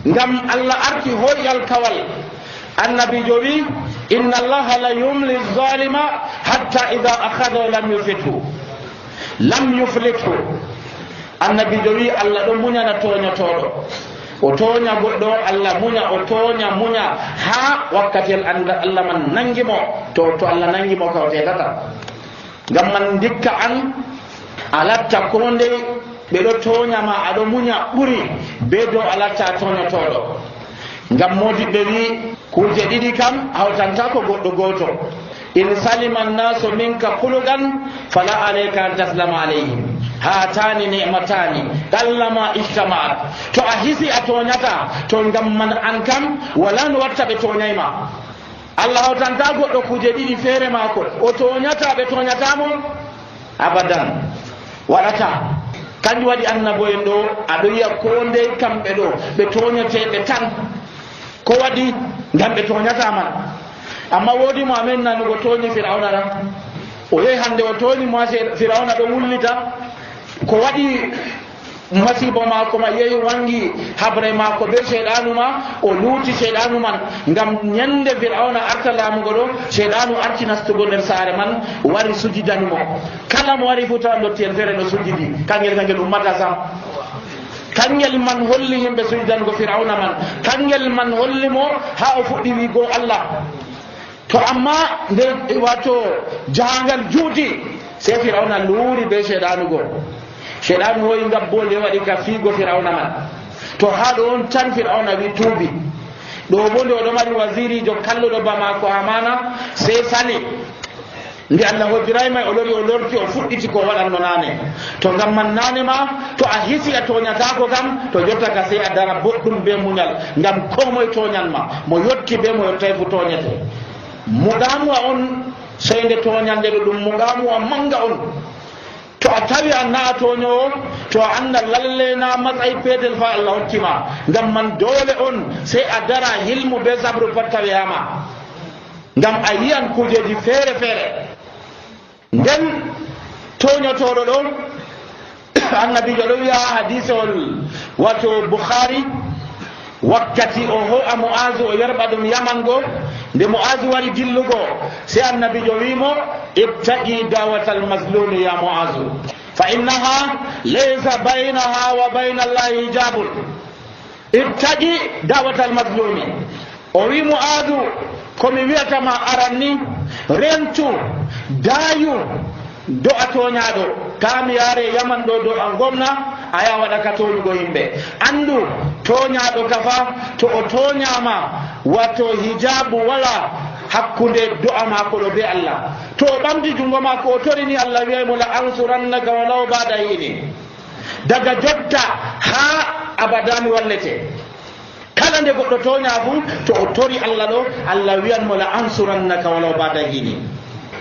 ngam Allah arti hoyal kawal annabijo wi inna allaha la yumli zalima hatta ida akhada lam yuflithu annabijo wi Allah ɗo muñana toñotoɗo o toña goɗɗo Allah muña o toña muña ha wakkatel Allah man nangimo to Allah nangimo ka o tetata ngam man dikka an a latta ko ndey ɓe ɗo toñama aɗo muña ɓuri be dow a latta toñotoɗo ngam modiɓɓe wi kuje ɗiɗi kam hawtanta ko goɗɗo goto in salima annasu minka kulugan fala alayka an taslama alayhim hatani ni'matani qallama ijtama'at to a hisi a toñata to ngam man an kam wala no watta ɓe toñayma Allah hawtanta goɗɗo kuje ɗiɗi feere mako o toñata ɓe toñatamo abadan waɗata kanjum waɗi annaboyen ɗo aɗo yiya ko ndey kamɓe ɗo ɓe toñateɓe tan ko waɗi ngam ɓe toñataman amma woodi mo amen nanugo toñi firawna ɗa o yehi hande o toñi mo firawna ɗo wullita ko waɗi masiba mako ma yehi wangi habre mako be sheɗanu ma o luuti sheɗanu man ngam ñande firawna arta laamugo ɗo sheɗanu arti nastugo nder saare man wari sujidanimo kala mo wari fu tawa dotti en feere no sujidi kangel ummata sam kangel man holli himɓe sujidango firawna man kangel man holli mo ha o fuɗɗi wigo Allah to amma nde wato jahangal juuti sei firawna luuri be sheɗanu go sheɗanu hoyi ngabbole waɗi ka fiigo firawna man to ha ɗo on tan firawna wi tuubi ɗo bo nde oɗo mari wasirijo kalluɗo ba mako amana sei sali nde Allah hodirayma o lori o lorti o fuɗɗiti ko waɗanno nane to ngam man nane ma to a hisi a toñatako kam to jotta ka sei a dara boɗɗum be muñal ngam ko moye toñanma mo yotti be mo yottay fu toñete muɗamuwa on soyde toñande ɗo ɗum muɗamuwa manga on to a tawi a na toñowo to a anda lalle na matsayi petel fa Allah hoktima ngam man dole on sei a dara hilmu be sabru pat tawiyama ngam a yiyan kujeji feere feere nden toñotoɗo ɗo annabijo ɗo wiya hadise ol wato Bukhari wakkati o ho'a Mu'azu o yerɓa ɗum Yaman go nde Mu'azu wari dillugo sei annabijo wimo ibtaqi dawatal mazlumi ya Mu'azu fa innaha laysa baynaha wa bayna Allahi hijabun ibtaqi dawatal mazlumi o wi Mu'azu komi wiyatama aranni rentu dayu do a toñaɗo kami yaare Yaman ɗo do a gomna aya waɗa ka toñugo yimɓe andu toñaɗo kafa to o toñama wato hijabu wala hakkunde do'a mako ɗo be Allah to o ɓamti jungo mako o torini Allah wiyaymo la ansurannaka walaw ba'da hini daga jotta ha abadami wallete kala nde goɗɗo toña fu to o tori Allah ɗo Allah wiyanmo la ansurannaka walaw ba'da hini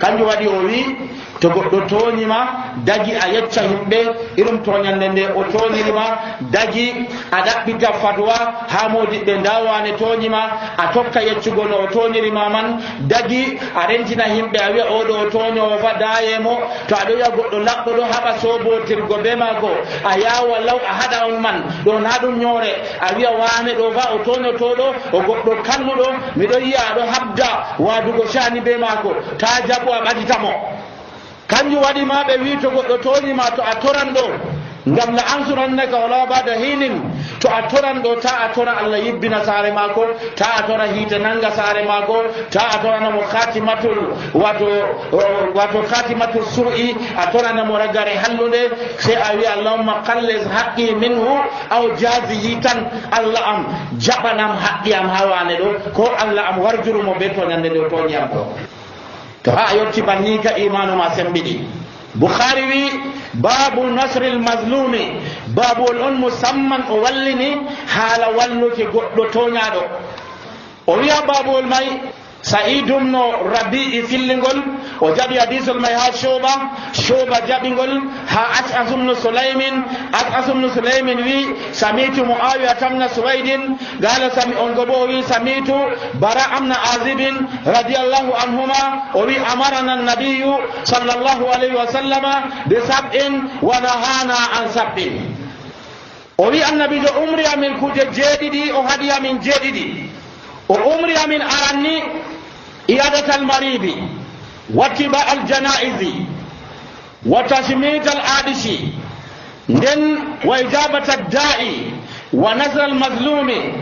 kanjum waɗi o wi to goɗɗo toñima dagi a yecca himɓe irum toñande nde o toñirima dagi a ɗaɓɓita fatwa ha modiɓɓe ndawane toñima a tokka yeccugo no o toñirima man dagi a rentina himɓe a wiya oɗo o toñowo fa dayemo to aɗo wiya goɗɗo laɓɗo ɗo haɓa sobotirgo be mako a yawa law a haɗa on man ɗo na ɗum ñoore a wiya wane ɗo fa o toñotoɗo o goɗɗo kalluɗo miɗo yiya aɗo habda wadugo shani be mako ta jaɓo a ɓaditamo kanjum waɗi ma ɓe wi to goɗɗo toñima to a toran ɗo ngam la ansurannaka wala ba'da hinin to a toran ɗo ta a tora Allah yibbina saare mako ta a tora hiite nanga saare mako ta a toranamo khatimatul wato khatimatul su'i a toranamo ragare hallude sai a wi Allahumma qallis haqqi minhu aw jazihi tan Allah am jaɓanam haqqi am ha wane ɗo ko Allah am warjurumo be toñande ɗo toñiyam ɗo to ha yotti banni ka imanu ma sembiɗi Bukhari wi babu nasril mazlumi babul on musamman o wallini haala walluki goɗɗo toñaɗo o wiya babol may Sa'id ibn Rabi'i fillingol o jaɓi hadisol may ha Shuba jaɓingol ha Ash'ath ibn Sulaymin wi samitu Muawiya tamna Suwaydin qala on gobo wi samitu Bara amna Azibin radiyallahu anhuma o wi amarana an-nabiyyu sallallahu alayhi wa sallama bi sab'in wa nahana an sab'in. O wi annabijo umri amin kuje jeeɗiɗi o haɗi amin jeeɗiɗi. o umri amin aranni iyadatal maridi wattiba al janaizi wa tashmit al adisi nden wa ijabata da'i wa nazal mazlumi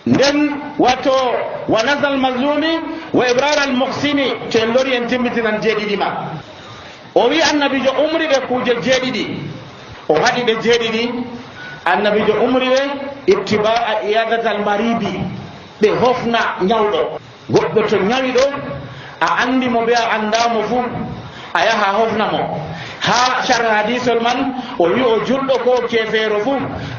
nden wato wa nazal mazlumi wa ibrar al muhsini to en lori en timmitinan jeeɗiɗi ma. o wi annabijo umri ɓe kuje jeeɗiɗi o haɗi ɓe jeeɗiɗi. annabijo umri ɓe ittiba'a iyadatal maridi ɓe hofna ñawɗo. goɗɗo to ñawi ɗo a andi mo be a andamo fu a yaha hofna mo. ha shar hadisol man o wi o julɗo ko kefeero fu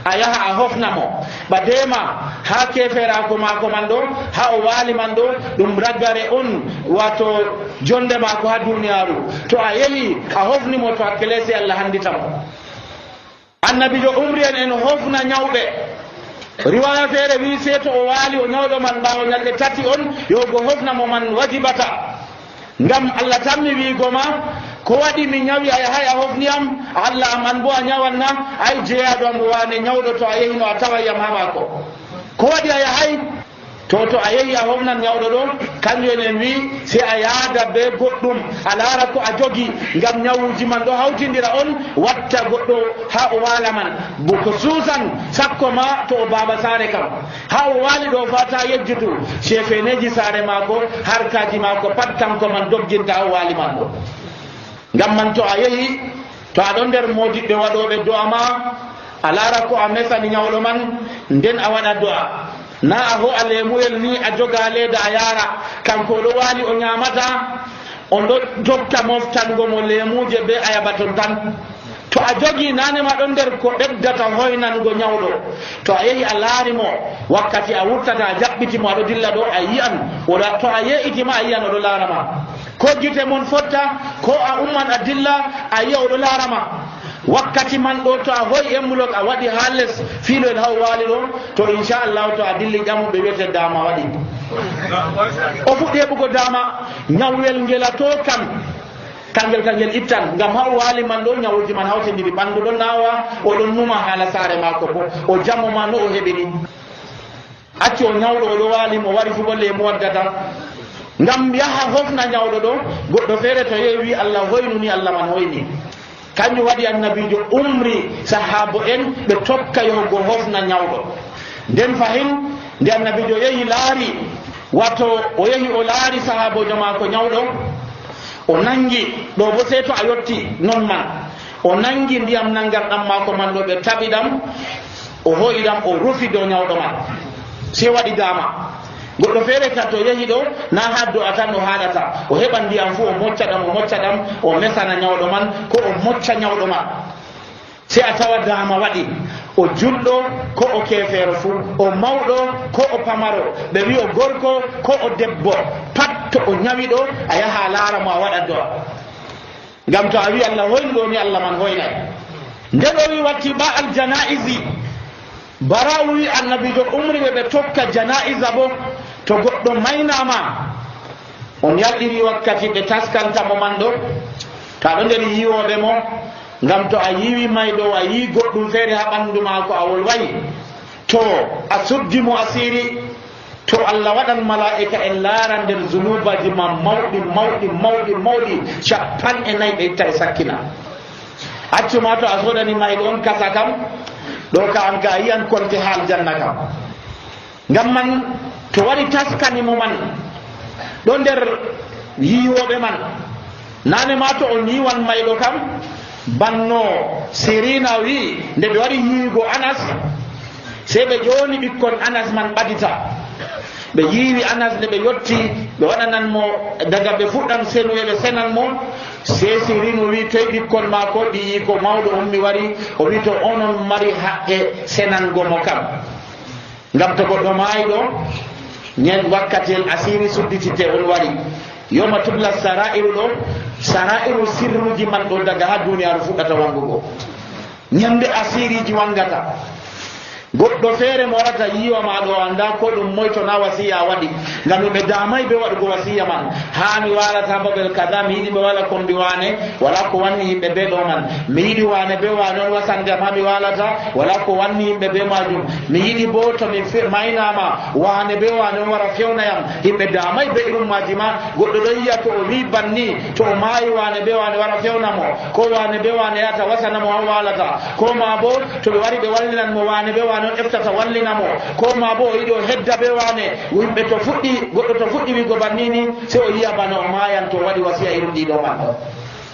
a yaha a hofna mo. ɓadema ha keferako mako man ɗo ha o waali man ɗo ɗum raggare on wato jonde mako ha duniyaru. to a yehi a hofni mo to hakkile se Allah handita mo. annabijo umri en hofna ñawɓe. riwaya feere wi se to o waali o ñawɗo man ɓaawo ñalɗe tati on yo go hofna mo man wajibata. ngam Allah tammi wiigo ma ko waɗi mi ñawi a yahay a hofniyam Allah am an bo a ñawanna ay jeeyaɗo am waane ñawɗo to a yehino a tawayyam ha maako. ko waɗi a yahay to a yehi a hofnan ñawɗo ɗo kanjum en wi si a yaada be goɗɗum a laara ko a jogi ngam ñawuji man ɗo hawtindira on watta goɗɗo ha o waala man bo ko suusan sakko ma to o baaba saare kam ha o waali ɗo fata yejjutu chefeneji saare maako harkaji maako pat kanko man dogginta ha o waali man ɗo. ngam man to a yehi to aɗon nder modiɓɓe waɗoɓe do'a ma a laara ko a mesani ñawɗo man nden a waɗa do'a. na a ho a lemuyel ni a joga leeda a yaara kanko ɗo waali o ñamata on ɗo jogta moftango mo lemuje be ayabaton tan. to a jogi nanema ɗon nder ko ɓeddata hoynango ñawɗo to a yehi a laari mo wakkati a wurtata a jaɓɓiti mo aɗo dilla ɗo a yi'an oɗa to a ye'itima a yi'an oɗo laarama ko gite mon fotta ko a umman a dilla a yi'a oɗo laarama. wakkati man ɗo to a hoyi embulok a waɗi ha less fiilo en haw waali ɗo to inchallahu to a dilli ƴamuɓe wiyete dama waɗi o fuɗɗi heɓugo dama ñawwel ngelato kam kangel ittan ngam haw waali man ɗo ñawuji man hawtindiri ɓanndu ɗo nawa oɗon numa haala saare maako bo o jammo ma no o heɓini acci o ñawɗo oɗo waali mo wari fugo lemu waddata ngam yaha hofna ñawɗo ɗo goɗɗo feere to yewi Allah hoynuni Allah man hoyni. kanjum waɗi annabijo umri sahabo en ɓe tokka yahugo hofna ñawɗo. nden fahin nde annabijo yehi laari wato o yehi o laari sahabojo maako ñawɗo o nangi ɗo bo sey to a yotti non man o nangi ndiyam nangar ɗam maako man ɗo ɓe taɓi ɗam o hoyi ɗam o rufi dow ñawɗo man sey waɗi dama. goɗɗo feere tan to yehi ɗo na ha do'a tan o haɗata o heɓa ndiyam fu o mocca ɗam o mesana ñawɗo man ko o mocca ñawɗo man se a tawa dama waɗi o julɗo ko o kefeero fu o mawɗo ko o pamaro ɓe wi o gorko ko o debbo pat to o ñawi ɗo a yaha laara mo a waɗa do'a. ngam to a wi Allah hoyni ɗo ni Allah man hoynay. nde ɗo wi watti ba al janaizi bara wi annabijo umri ɓe tokka janaiza bo to goɗɗo maynama on yalɗiri wakkati ɓe taskantamo man ɗo to aɗo nder yiwoɓe mo ngam to a yiwi mayɗo a yi goɗɗum feere ha ɓanndu maako a wolwayi to a suddi mo asiri to Allah waɗan mala'ika en laara nder zunubaji ma mawɗi 4 ɓe itta e sakkina. accuma to a sodani mayɗo on kasa kam ɗo ka an ka yiyan konte ha aljanna kam. ngam man to waɗi taskanimo man ɗo nder yiwoɓe man nane ma to on yiwan mayɗo kam banno sirina wi nde ɓe waɗi yiwigo Anas sey ɓe ƴoni ɓikkon Anas man ɓadita ɓe yiwi Anas nde ɓe yotti ɓe waɗanan mo daga ɓe fuɗɗan senuye ɓe senan mo sey sirino wi toye ɓikkon ma ko ɗi yi ko mawɗo ummi wari o wi to onon mari haqqe senango mo kam ngam to goɗɗo maayi ɗo ñen wakkatel asiri sudditite on wari yoma tubla sarairu ɗo sarairu sirruji man ɗo daga ha duniyaru fuɗɗata wangugo ñande asiriji wangata goɗɗo feere mo warata yiwa ma ɗo anda ko ɗum moy to na wasiya waɗi ngam ɓe damay ɓe waɗugo wasiya man ha mi walata babel kada mi yiɗi ɓe wala kombi wane wala ko wanni yimɓe ɓe ɗo man mi yiɗi wane ɓe wane on wasandem ha mi walata wala ko wanni yimɓe ɓe majum mi yiɗi bo to mi maynama wane ɓe wane on wara fewnayam yimɓe damay ɓe irum maji ma goɗɗo ɗo yiya to o wi banni to o maayi wane ɓe wane wara fewnamo ko wane ɓe wane yata wasanamo ha walata ko ma bo to ɓe wari ɓe wallinanmo wane ɓe wane on eftata wallinamo ko ma bo o yiɗi o hedda ɓe wane yimɓe to fuɗɗi goɗɗo to fuɗɗi wigo bannini se o yiya bana o mayan to waɗi wasiya irum ɗiɗo man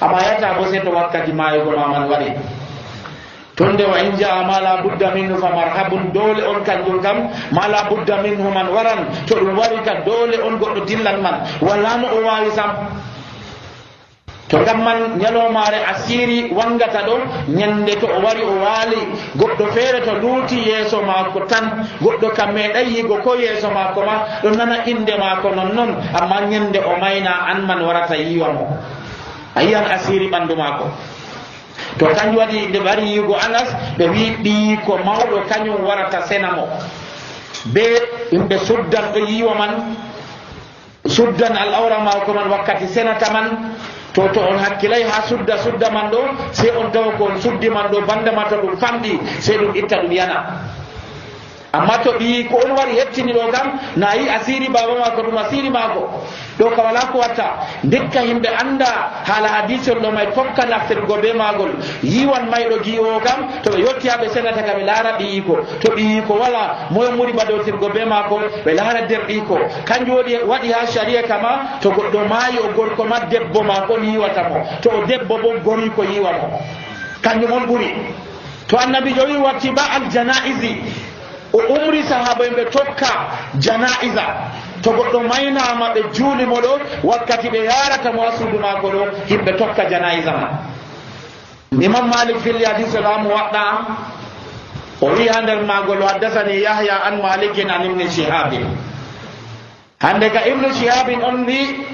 amma yata bo se to wakkati mayugo ma man waɗi tonde wa in jaa ma la budda minhu fa marhabun dole on kanjum kam ma la budda minhu man waran to ɗum wari ka dole on goɗɗo dillan man wala no o wawi sam to ngam man ñalomare asiri wangata ɗo ñande to o wari o waali goɗɗo feere to luuti yeeso maako tan goɗɗo kam meeɗay yigo ko yeeso maako ma ɗo nana inde maako non noon amma ñande o mayna an man warata yiwa mo a yiyan asiri ɓanndu maako to kanjum waɗi nde ɓari yigo Anas ɓe wi ɓii ko mawɗo kañum warata sena mo be yimɓe suddan ɗo yiwa man suddan al awra maako man wakkati senata man to on hakkilay ha sudda man ɗo se on tawa ko on suddi man ɗo bandama to ɗum famɗi se ɗum itta ɗum yana amma to ɓi ko on wari hettini ɗo kam na yi asiri baba mako ɗum asiri mako ɗo ka wala ko watta ndekka yimɓe anda haala hadisol ɗo may tokka naftirgo be magol yiwan mayɗo giwo kam to ɓe yetti ha ɓe senata ka ɓe laara ɓiyiko to ɓiyiko wala moyo muri baɗotirgo be mako ɓe laara nder ɗiko kanjum waɗi ha sharia kama to goɗɗo maayi o gorko ma debbo mako on yiwata mo to o debbo bo goriko yiwa mo kanjum on ɓuri to annabi jo wi watti ba al janaisi o umri sahaba ɓe tokka janaiza to goɗɗo maynama ɓe juulimo ɗo wakkati ɓe yarata mo ha suudu mako ɗo yimɓe tokka janaiza ma imam malik filli hadise lamu waɗɗa o wi ha nder magol haddasani yahya an malikin an ibni shihabin hande ka ibnu shihabin on wi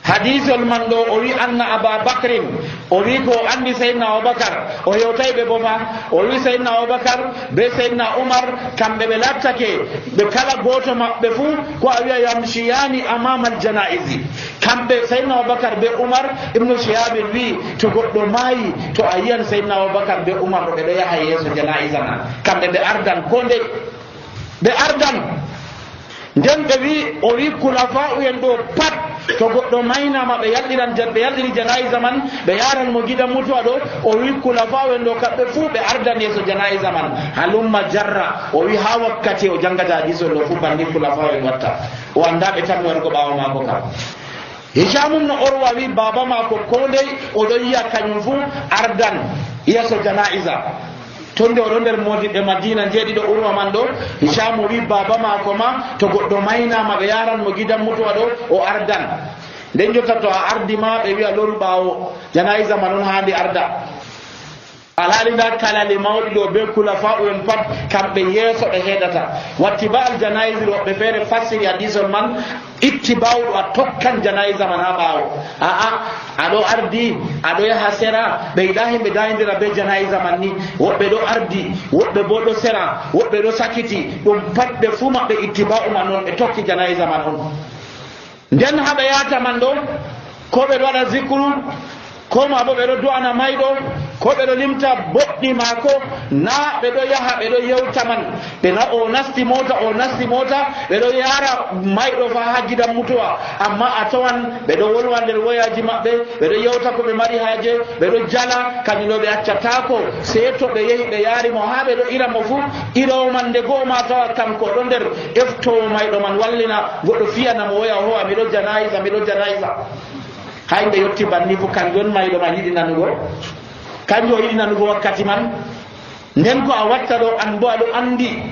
hadisol man ɗo o wi anna aba bacrin o wi ko andi seydna aboubacar o yewtay ɓe boma o wi seydna aboubacar be seydna oumar kamɓe ɓe lattake ɓe kala goto maɓɓe fuu ko a wiya yamchiyani amama al janaisi kamɓe seydna aboubacar be oumar ibnu shihabin wi to goɗɗo maayi to a yiyan seydna aboubacar be oumar ɗo ɓeɗo yaha yeeso janaisa man kamɓe ɓe ardan ko nde ɓe ardan nden ɓe wi o wi kulafa'u en ɗo pat to goɗɗo maynama ɓe yalɗiri janaisa man ɓe yaran mo gidan mutuwa ɗo o wi kulafa'u en ɗo kamɓe fuu ɓe ardan yeeso janaisa man halumma jarra o wi ha wakkati o jangata hadisol ɗo fuu banni kulafa'u en watta o anda ɓe tan wargo ɓawa mako kam hicamum no orwa wi baba mako ko ndey oɗon yiya kañum fuu ardan yeeso janaisa tonde oɗo nder modiɓe madina jeeɗiɗo urwa man ɗo hicamu wi baba mako ma to goɗɗo maynama ɓe yaran mo gidan mutuwa ɗo o ardan nden jotta to a ardi ma ɓe wiya loru ɓawo janaisa ma noon handi arda alhaali nda kalali mawɗi ɗo be kulafa'u en pat kamɓe yeeso ɓe heɗata watti ba al janaisi woɓɓe feere fassiri hadisol man itti bawɗo a tokkan janaisa man ha ɓawo aa aɗo ardi aɗo yaha sera ɓe yiɗa himɓe dayidira be janaisa man ni woɓɓe ɗo ardi woɓɓe bo ɗo sera woɓɓe ɗo sakiti ɗum pat ɓe fuu maɓɓe itti ba'u man on ɓe tokki janaisa man on nden haɓe yata man ɗo ko ɓe ɗo waɗa zicru ko ma bo ɓe ɗo du'ana mayɗo ko ɓe ɗo limta boɗɗi maako na ɓe ɗo yaha ɓe ɗo yewta man ɓena o nasti mota ɓe ɗo yara mayɗo fa ha gidan mutuwa amma a tawan ɓe ɗo wolwa nder woyaji maɓɓe ɓe ɗo yewta ko ɓe mari haaje ɓe ɗo jala kañum ɗo ɓe accatako sey to ɓe yehi ɓe yaari mo ha ɓe ɗo ira mo fuu irawo man nde go'o ma tawa kanko ɗo nder eftowo mayɗo man wallina goɗɗo fiyana mo woya howa miɗo janaisa ha yimɓe yetti banni fo kanjum on mayɗo man yiɗi nanugo kanjum o yiɗi nanugo wakkati man nden ko a watta ɗo an bo aɗo andi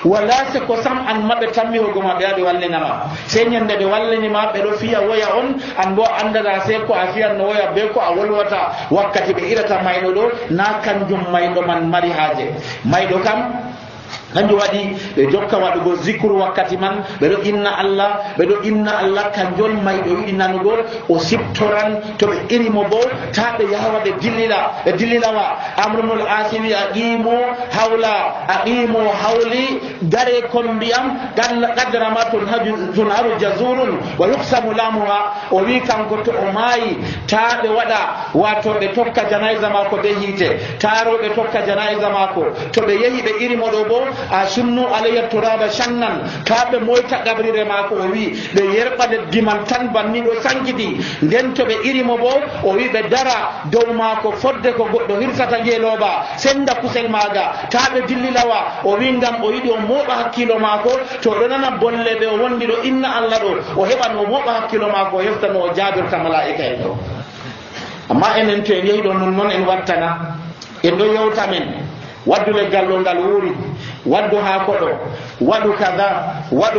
wala se ko sam an maɓe tammi hogoma ɓe aɓe wallinama sey ñande ɓe wallinima ɓe ɗo fiya woya on an bo andata se ko a fiyan no woya be ko a wolwata wakkati ɓe irata mayɗo ɗo na kanjum mayɗo man mari haaje mayɗo kam kanjum waɗi ɓe jokka waɗugo zicre wakkati man ɓeɗo inna Allah kanjol mayɗo yiɗi nanugo o siptoran to ɓe irimo bo ta ɓe yaha ɓe dillilawa. Amrunul asimi aqimu hawli dare kon ndiyam qadra ma tunharu jazurun wa yuqsamu lamuha. O wi kanko to o maayi ta ɓe waɗa wato ɓe tokka janaiza mako be hiite, taro ɓe tokka janaiza mako. To ɓe yehi ɓe irimo ɗo bo a sunnu alayya turaba shannan, ta ɓe moyta gabrire mako. O wi ɓe yerɓa leddi man tan banni ɗo sankiti. Nden to ɓe irimo bo o wi ɓe dara dow mako fodde ko goɗɗo hirsata ngeloba senda kusel maga, ta ɓe dillilawa. O wi ngam o yiɗi o moɓa hakkilo mako, to ɗo nana bolle ɓe o wondi ɗo inna Allah ɗo o heɓan o moɓa hakkilo mako o heftano o jabirta malaika en ɗo. Amma enen to en yehi ɗo non en wattana en ɗo yewta men waddu leggal ɗo ngal wuuri, waddu haako ɗo, waɗu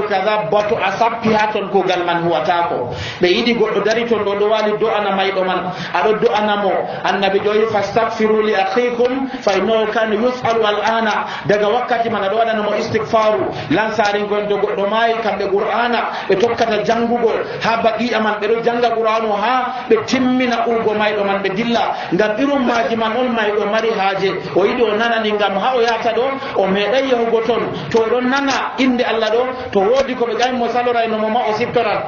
kaza bato a sappi ha ton kugal man huwatako. Ɓe yiɗi goɗɗo dari ton ɗo ɗo wali do'ana mayɗo man, aɗo do'anamo. Annabi ƴoyi fastaghfiru li akhikum fa innahu kana yus'alu al'ana. Daga wakkati man aɗo waɗanamo istighfaru. Lansarinkoen to goɗɗo maayi kamɓe qur'ana ɓe tokkata jangugo ha baqi'a man, ɓeɗo janga qur'anu ha ɓe timmina urgo mayɗo man ɓe dilla. Ngam irum maji man on mayɗo mari haaje, o yiɗi o nanani ngam ha o yata ɗo o meeɗay yahugo ton. To ɗon nana inde Allah ɗo to woodi ko ɓe ƴami mo salorayno mo ma o siftoran.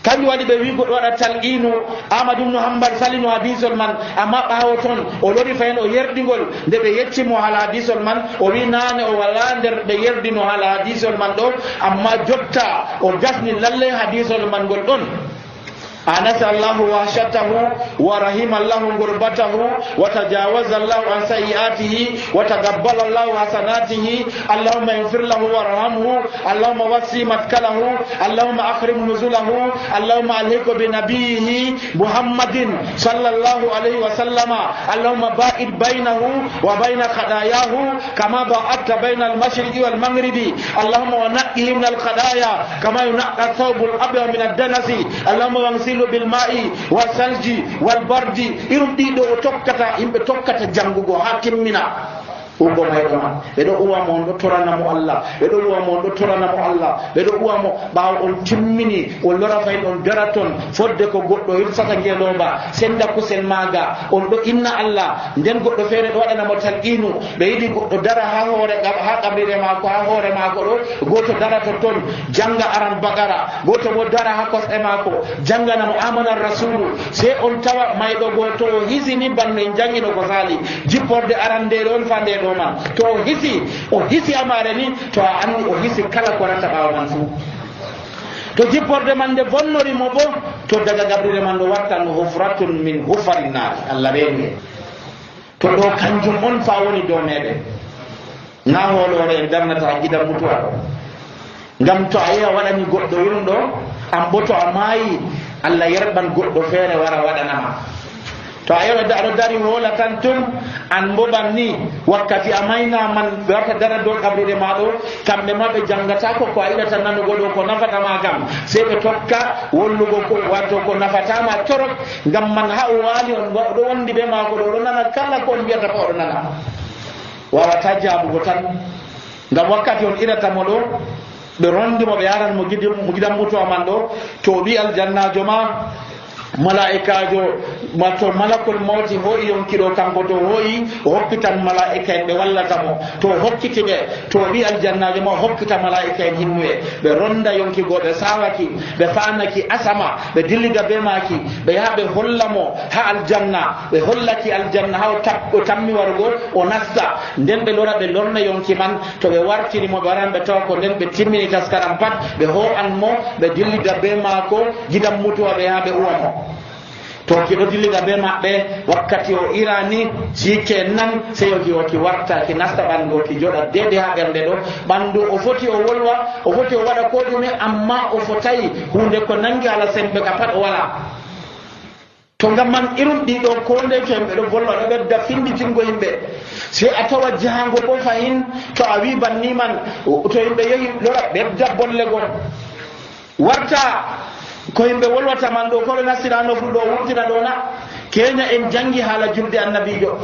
kanjum waɗi ɓe wi goɗɗo waɗa talqinu. Amadou ibn Hanbal salino hadisol man, amma ɓawo toon o lori fayin o yerdigol. Nde ɓe yeccimo haala hadisol man o wi nane o wala nder ɓe yerdino haala hadisol man ɗo, amma jotta o gasni lalle hadisol man ngol ɗon. anasa Allahu wahshatahu wa rahima Allahu gurbatahu wa tajawaza Allahu an sayiatihi wa taqabbala Allahu hasanatihi. Allahumma ighfir lahu warhamhu, Allahumma wasi matkalahu, Allahumma akrim nuzulahu, Allahumma alhiqhu bi nabiyhi Muhammadin sallallahu alaihi wa sallama. Allahumma ba'id bainahu wa baina khadayahu kama ba'adta baina al-mashriqi wal maghribi. Allahumma wa naqqihi min al-khadaya kama yunqqa thawbul abyad min ad-danasi. Allahumma wangsilu bil ma'i wa salji wal bardi. Irum ɗiɗo o tokkata yimɓe tokkata jangugo ha timmina ugo mayɗo man. Ɓeɗo uwamo on ɗo toranamo Allah, ɓeɗo uwamo on ɗo toranamo Allah, ɓeɗo uwamo ɓawo on timmini on lora fayin on dara ton fodde ko goɗɗo hirsata ngeloba senda kusel maga on ɗo inna Allah. Nden goɗɗo feere ɗo waɗanamo talqinu. Ɓe yiɗi goɗɗo dara ha qabrire mako, ha hoore mako ɗo, goto dara to ton janga aran bagara, goto bo dara ha kosɗe mako janganamo amana rasulu. Sei on tawa mayɗo goto o hisini banno en jangino ko sali jipporde arandere on fande ɗo man. To o hisi amare ni to a andi o hisi kala ko rata ɓawo man fu. To jipporde man nde bonnori mo bo to daga gabrire man ɗo wartan hufratun min hufarin nar. Allah reeni to ɗo kanjum on fa woni dow meɗen. Na holore en darnata gidan mutuwa ɗo. Ngam to a yi a waɗani goɗɗo irum ɗo an bo to a maayi Allah yerɓan goɗɗo feere wara waɗanama. To a yewa aɗo dari hola tan tun an mboɓan ni wakkati a mayna man ɓe warta dara dow qabrire ma ɗo, kamɓe ma ɓe jangatako ko a yiɗata nanugo ɗo ko nafatama kam, sei ɓe tokka wollugo ko wato ko nafatama torok. Ngam man ha o waali on ɗo wondi ɓe mako ɗo ɗo nana kala ko on mbiyata ko oɗo nana, wawata jabugo tan. Ngam wakkati on iratamo ɗo ɓe rondimo ɓe yaran mo gidan mutuwa man ɗo, to ɓi aljannajo ma malaikajo to malakul mawti hoyi yonkiɗo kanko to hoyi o hokkitan malaika en ɓe wallata mo. To hokkiti ɓe to wi aljannajo ma hokkita malaika en hinnuɓe ɓe ronda yonkigo, ɓe sawaki, ɓe fanaki asama, ɓe dilliga be maki, ɓe yaha ɓe holla mo ha aljanna, ɓe hollaki aljanna ha o tammi warugo o nasta. Nden ɓe lora ɓe lorna yonki man. To ɓe wartiri mo ɓe waran ɓe tawa ko nden ɓe timmini taskaram pat ɓe ho'an mo ɓe dilliga be mako gidan mutuwa ɓe yaha ɓe uwa mo. To kiɗo dilliga be maɓɓe wakkati o irani sike nan sey oki warta ki nasta ɓandu ki joɗa dede ha ɓernde ɗo. Ɓandu o foti o wolwa, o foti o waɗa ko ɗume, amma o fotayi hunde ko nangi ala sembe ka pat o wala. To ngam man irum ɗiɗo ko nde to yimɓe ɗo volla ɗo ɓedda finditingo yimɓe. Sei a tawa jahango bo fayin to a wi banni man to yimɓe yehi lora ɓedda bolle gon warta ko yimɓe wolwata man ɗo koɓe nastirano fu ɗo wurtina ɗo na. Kenya en jangi haala julde annabijo,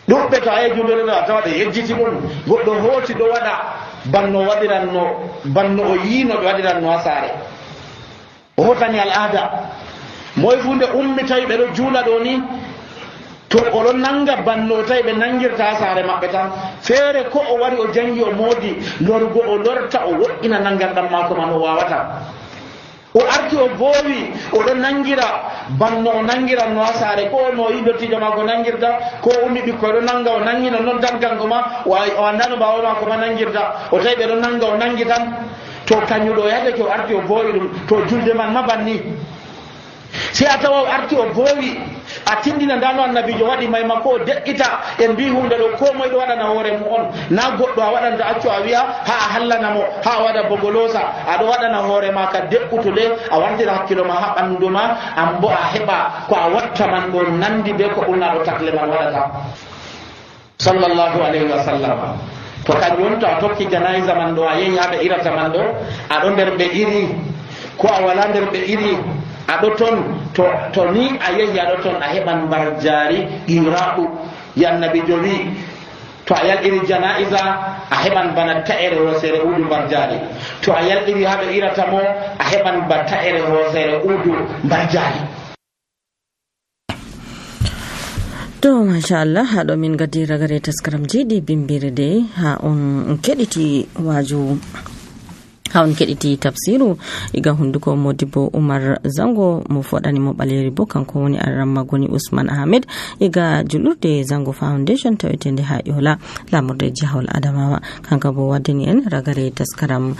ɗuɓɓe to ayi julde ɗo a tawa ɗe yejjiti ɗum goɗɗo hooti ɗo waɗa banno o yiino ɓe waɗiranno ha saare o hotani al'ada moye fu nde ummi tawi ɓe ɗo juula ɗo ni to oɗon nanga banno tawi ɓe nangirta ha saare maɓɓe tan feere ko o wari o jangi o moodi lorgo o lorta o woɗɗina nangarɗam maako man o wawata o arti o boowi oɗon nangira banno o nangiranno ha saare ko no yiɗottijo maako nangirta ko ummi ɓikkoy ɗo nanga o nangino noddan kanko ma o andano mbawo maako ma nangirta o tawi ɓe ɗo nanga o nangi tan to kañuɗo o yadake o arti o boowi ɗum to julde man ma banni si a tawa o arti o boowi a tindina ndano annabijo waɗi mayma ko o deƴƴita en mbi hunde ɗo ko moye ɗo waɗana hoore mum on na goɗɗo a waɗanta accu a wiya ha a hallanamo ha a waɗa bogolosa aɗo waɗana hoore ma ka deɓɓutude a wardira hakkilo ma ha ɓanndu ma an bo a heɓa ko a watta man ɗo nandi be ko ɓurnaɗo takle man waɗata sallllahu alayhi wa sallam to kañum to a tokki janayisa man ɗo a yehi haɓe irata man ɗo aɗo nder ɓe iri ko a wala nder ɓe iri aɗo toon to ni a yehi aɗo toon a heɓan mbar jaari qiraɓu yannabijo wi to a yalɗiri janaisa a heɓan bana ta'ere hoosere uudu mbar jaari to a yalɗiri haɓe irata mo a heɓan ba ta'ere hoosere uudu mbar jaari. To machallah haɗo min gaddi ragare taskaram jiɗi bimbire de ha on keɗiti waju ha on keɗiti tafsiru iga hunduko Modibo Umar Zango mo foɗani mo ɓaleri bo kanko woni arramma goni Usman Ahmed iga julurde Zango Foundation tawetende ha Yola lamurde jahol Adamawa kanka bo waddani en ragare taskaram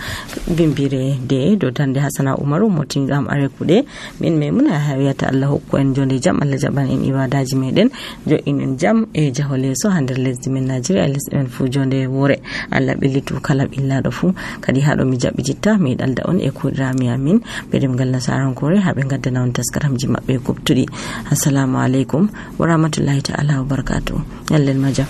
bimbire de do dande Hasana Umaru motingam are kuɗe min memuna hawiyata Allah hokku en jonde jam Allah jaɓan en ibadaji meɗen jo inen jam e jahole so ha nder lesdi men Nigeria lesdi men fu jonde wore Allah ɓellitu kala ɓillaɗo fu kadi haɗo mi jaɓi jitta mi dalda on e kudrami amin be demgal nasarankore habe gaddana on taskaramji mabbe kubtudi. Assalamu alaikum wa rahmatullahi ta'ala wa barakatuh. Yallel majam.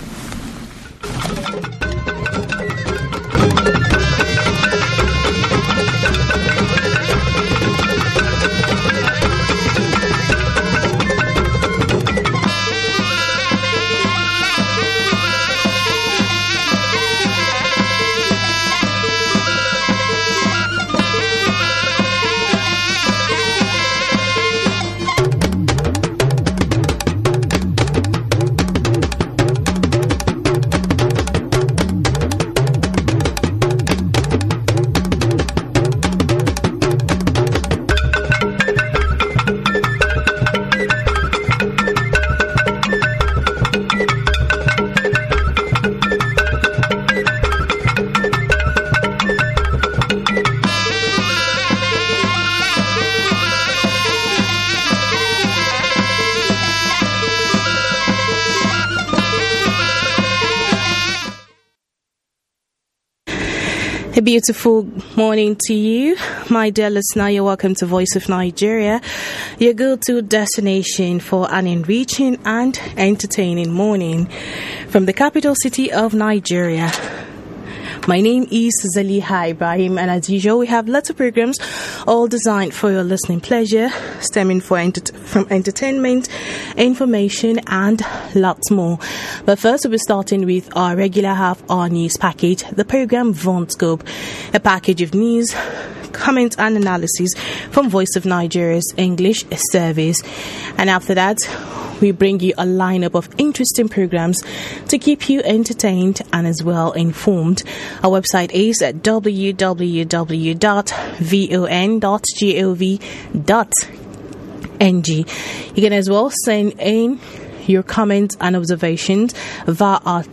A beautiful morning to you, my dear listener. You're welcome to Voice of Nigeria, your go-to destination for an enriching and entertaining morning from the capital city of Nigeria. My name is Zaliha Ibrahim, and as usual, we have lots of programs all designed for your listening pleasure, stemming from entertainment, information, and lots more. But first, we'll be starting with our regular half-hour news package, the program Von Scope, a package of news, comments, and analysis from Voice of Nigeria's English service. And after that, we bring you a lineup of interesting programs to keep you entertained and as well informed. Our website is at www.von.gov.ng. You can as well send in your comments and observations via our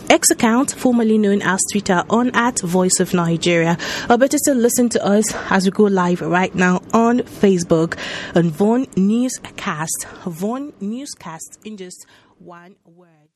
X account, formerly known as Twitter, on @Voice of Nigeria. Or better still, listen to us as we go live right now on Facebook on Von Newscast. Von Newscast in just one word.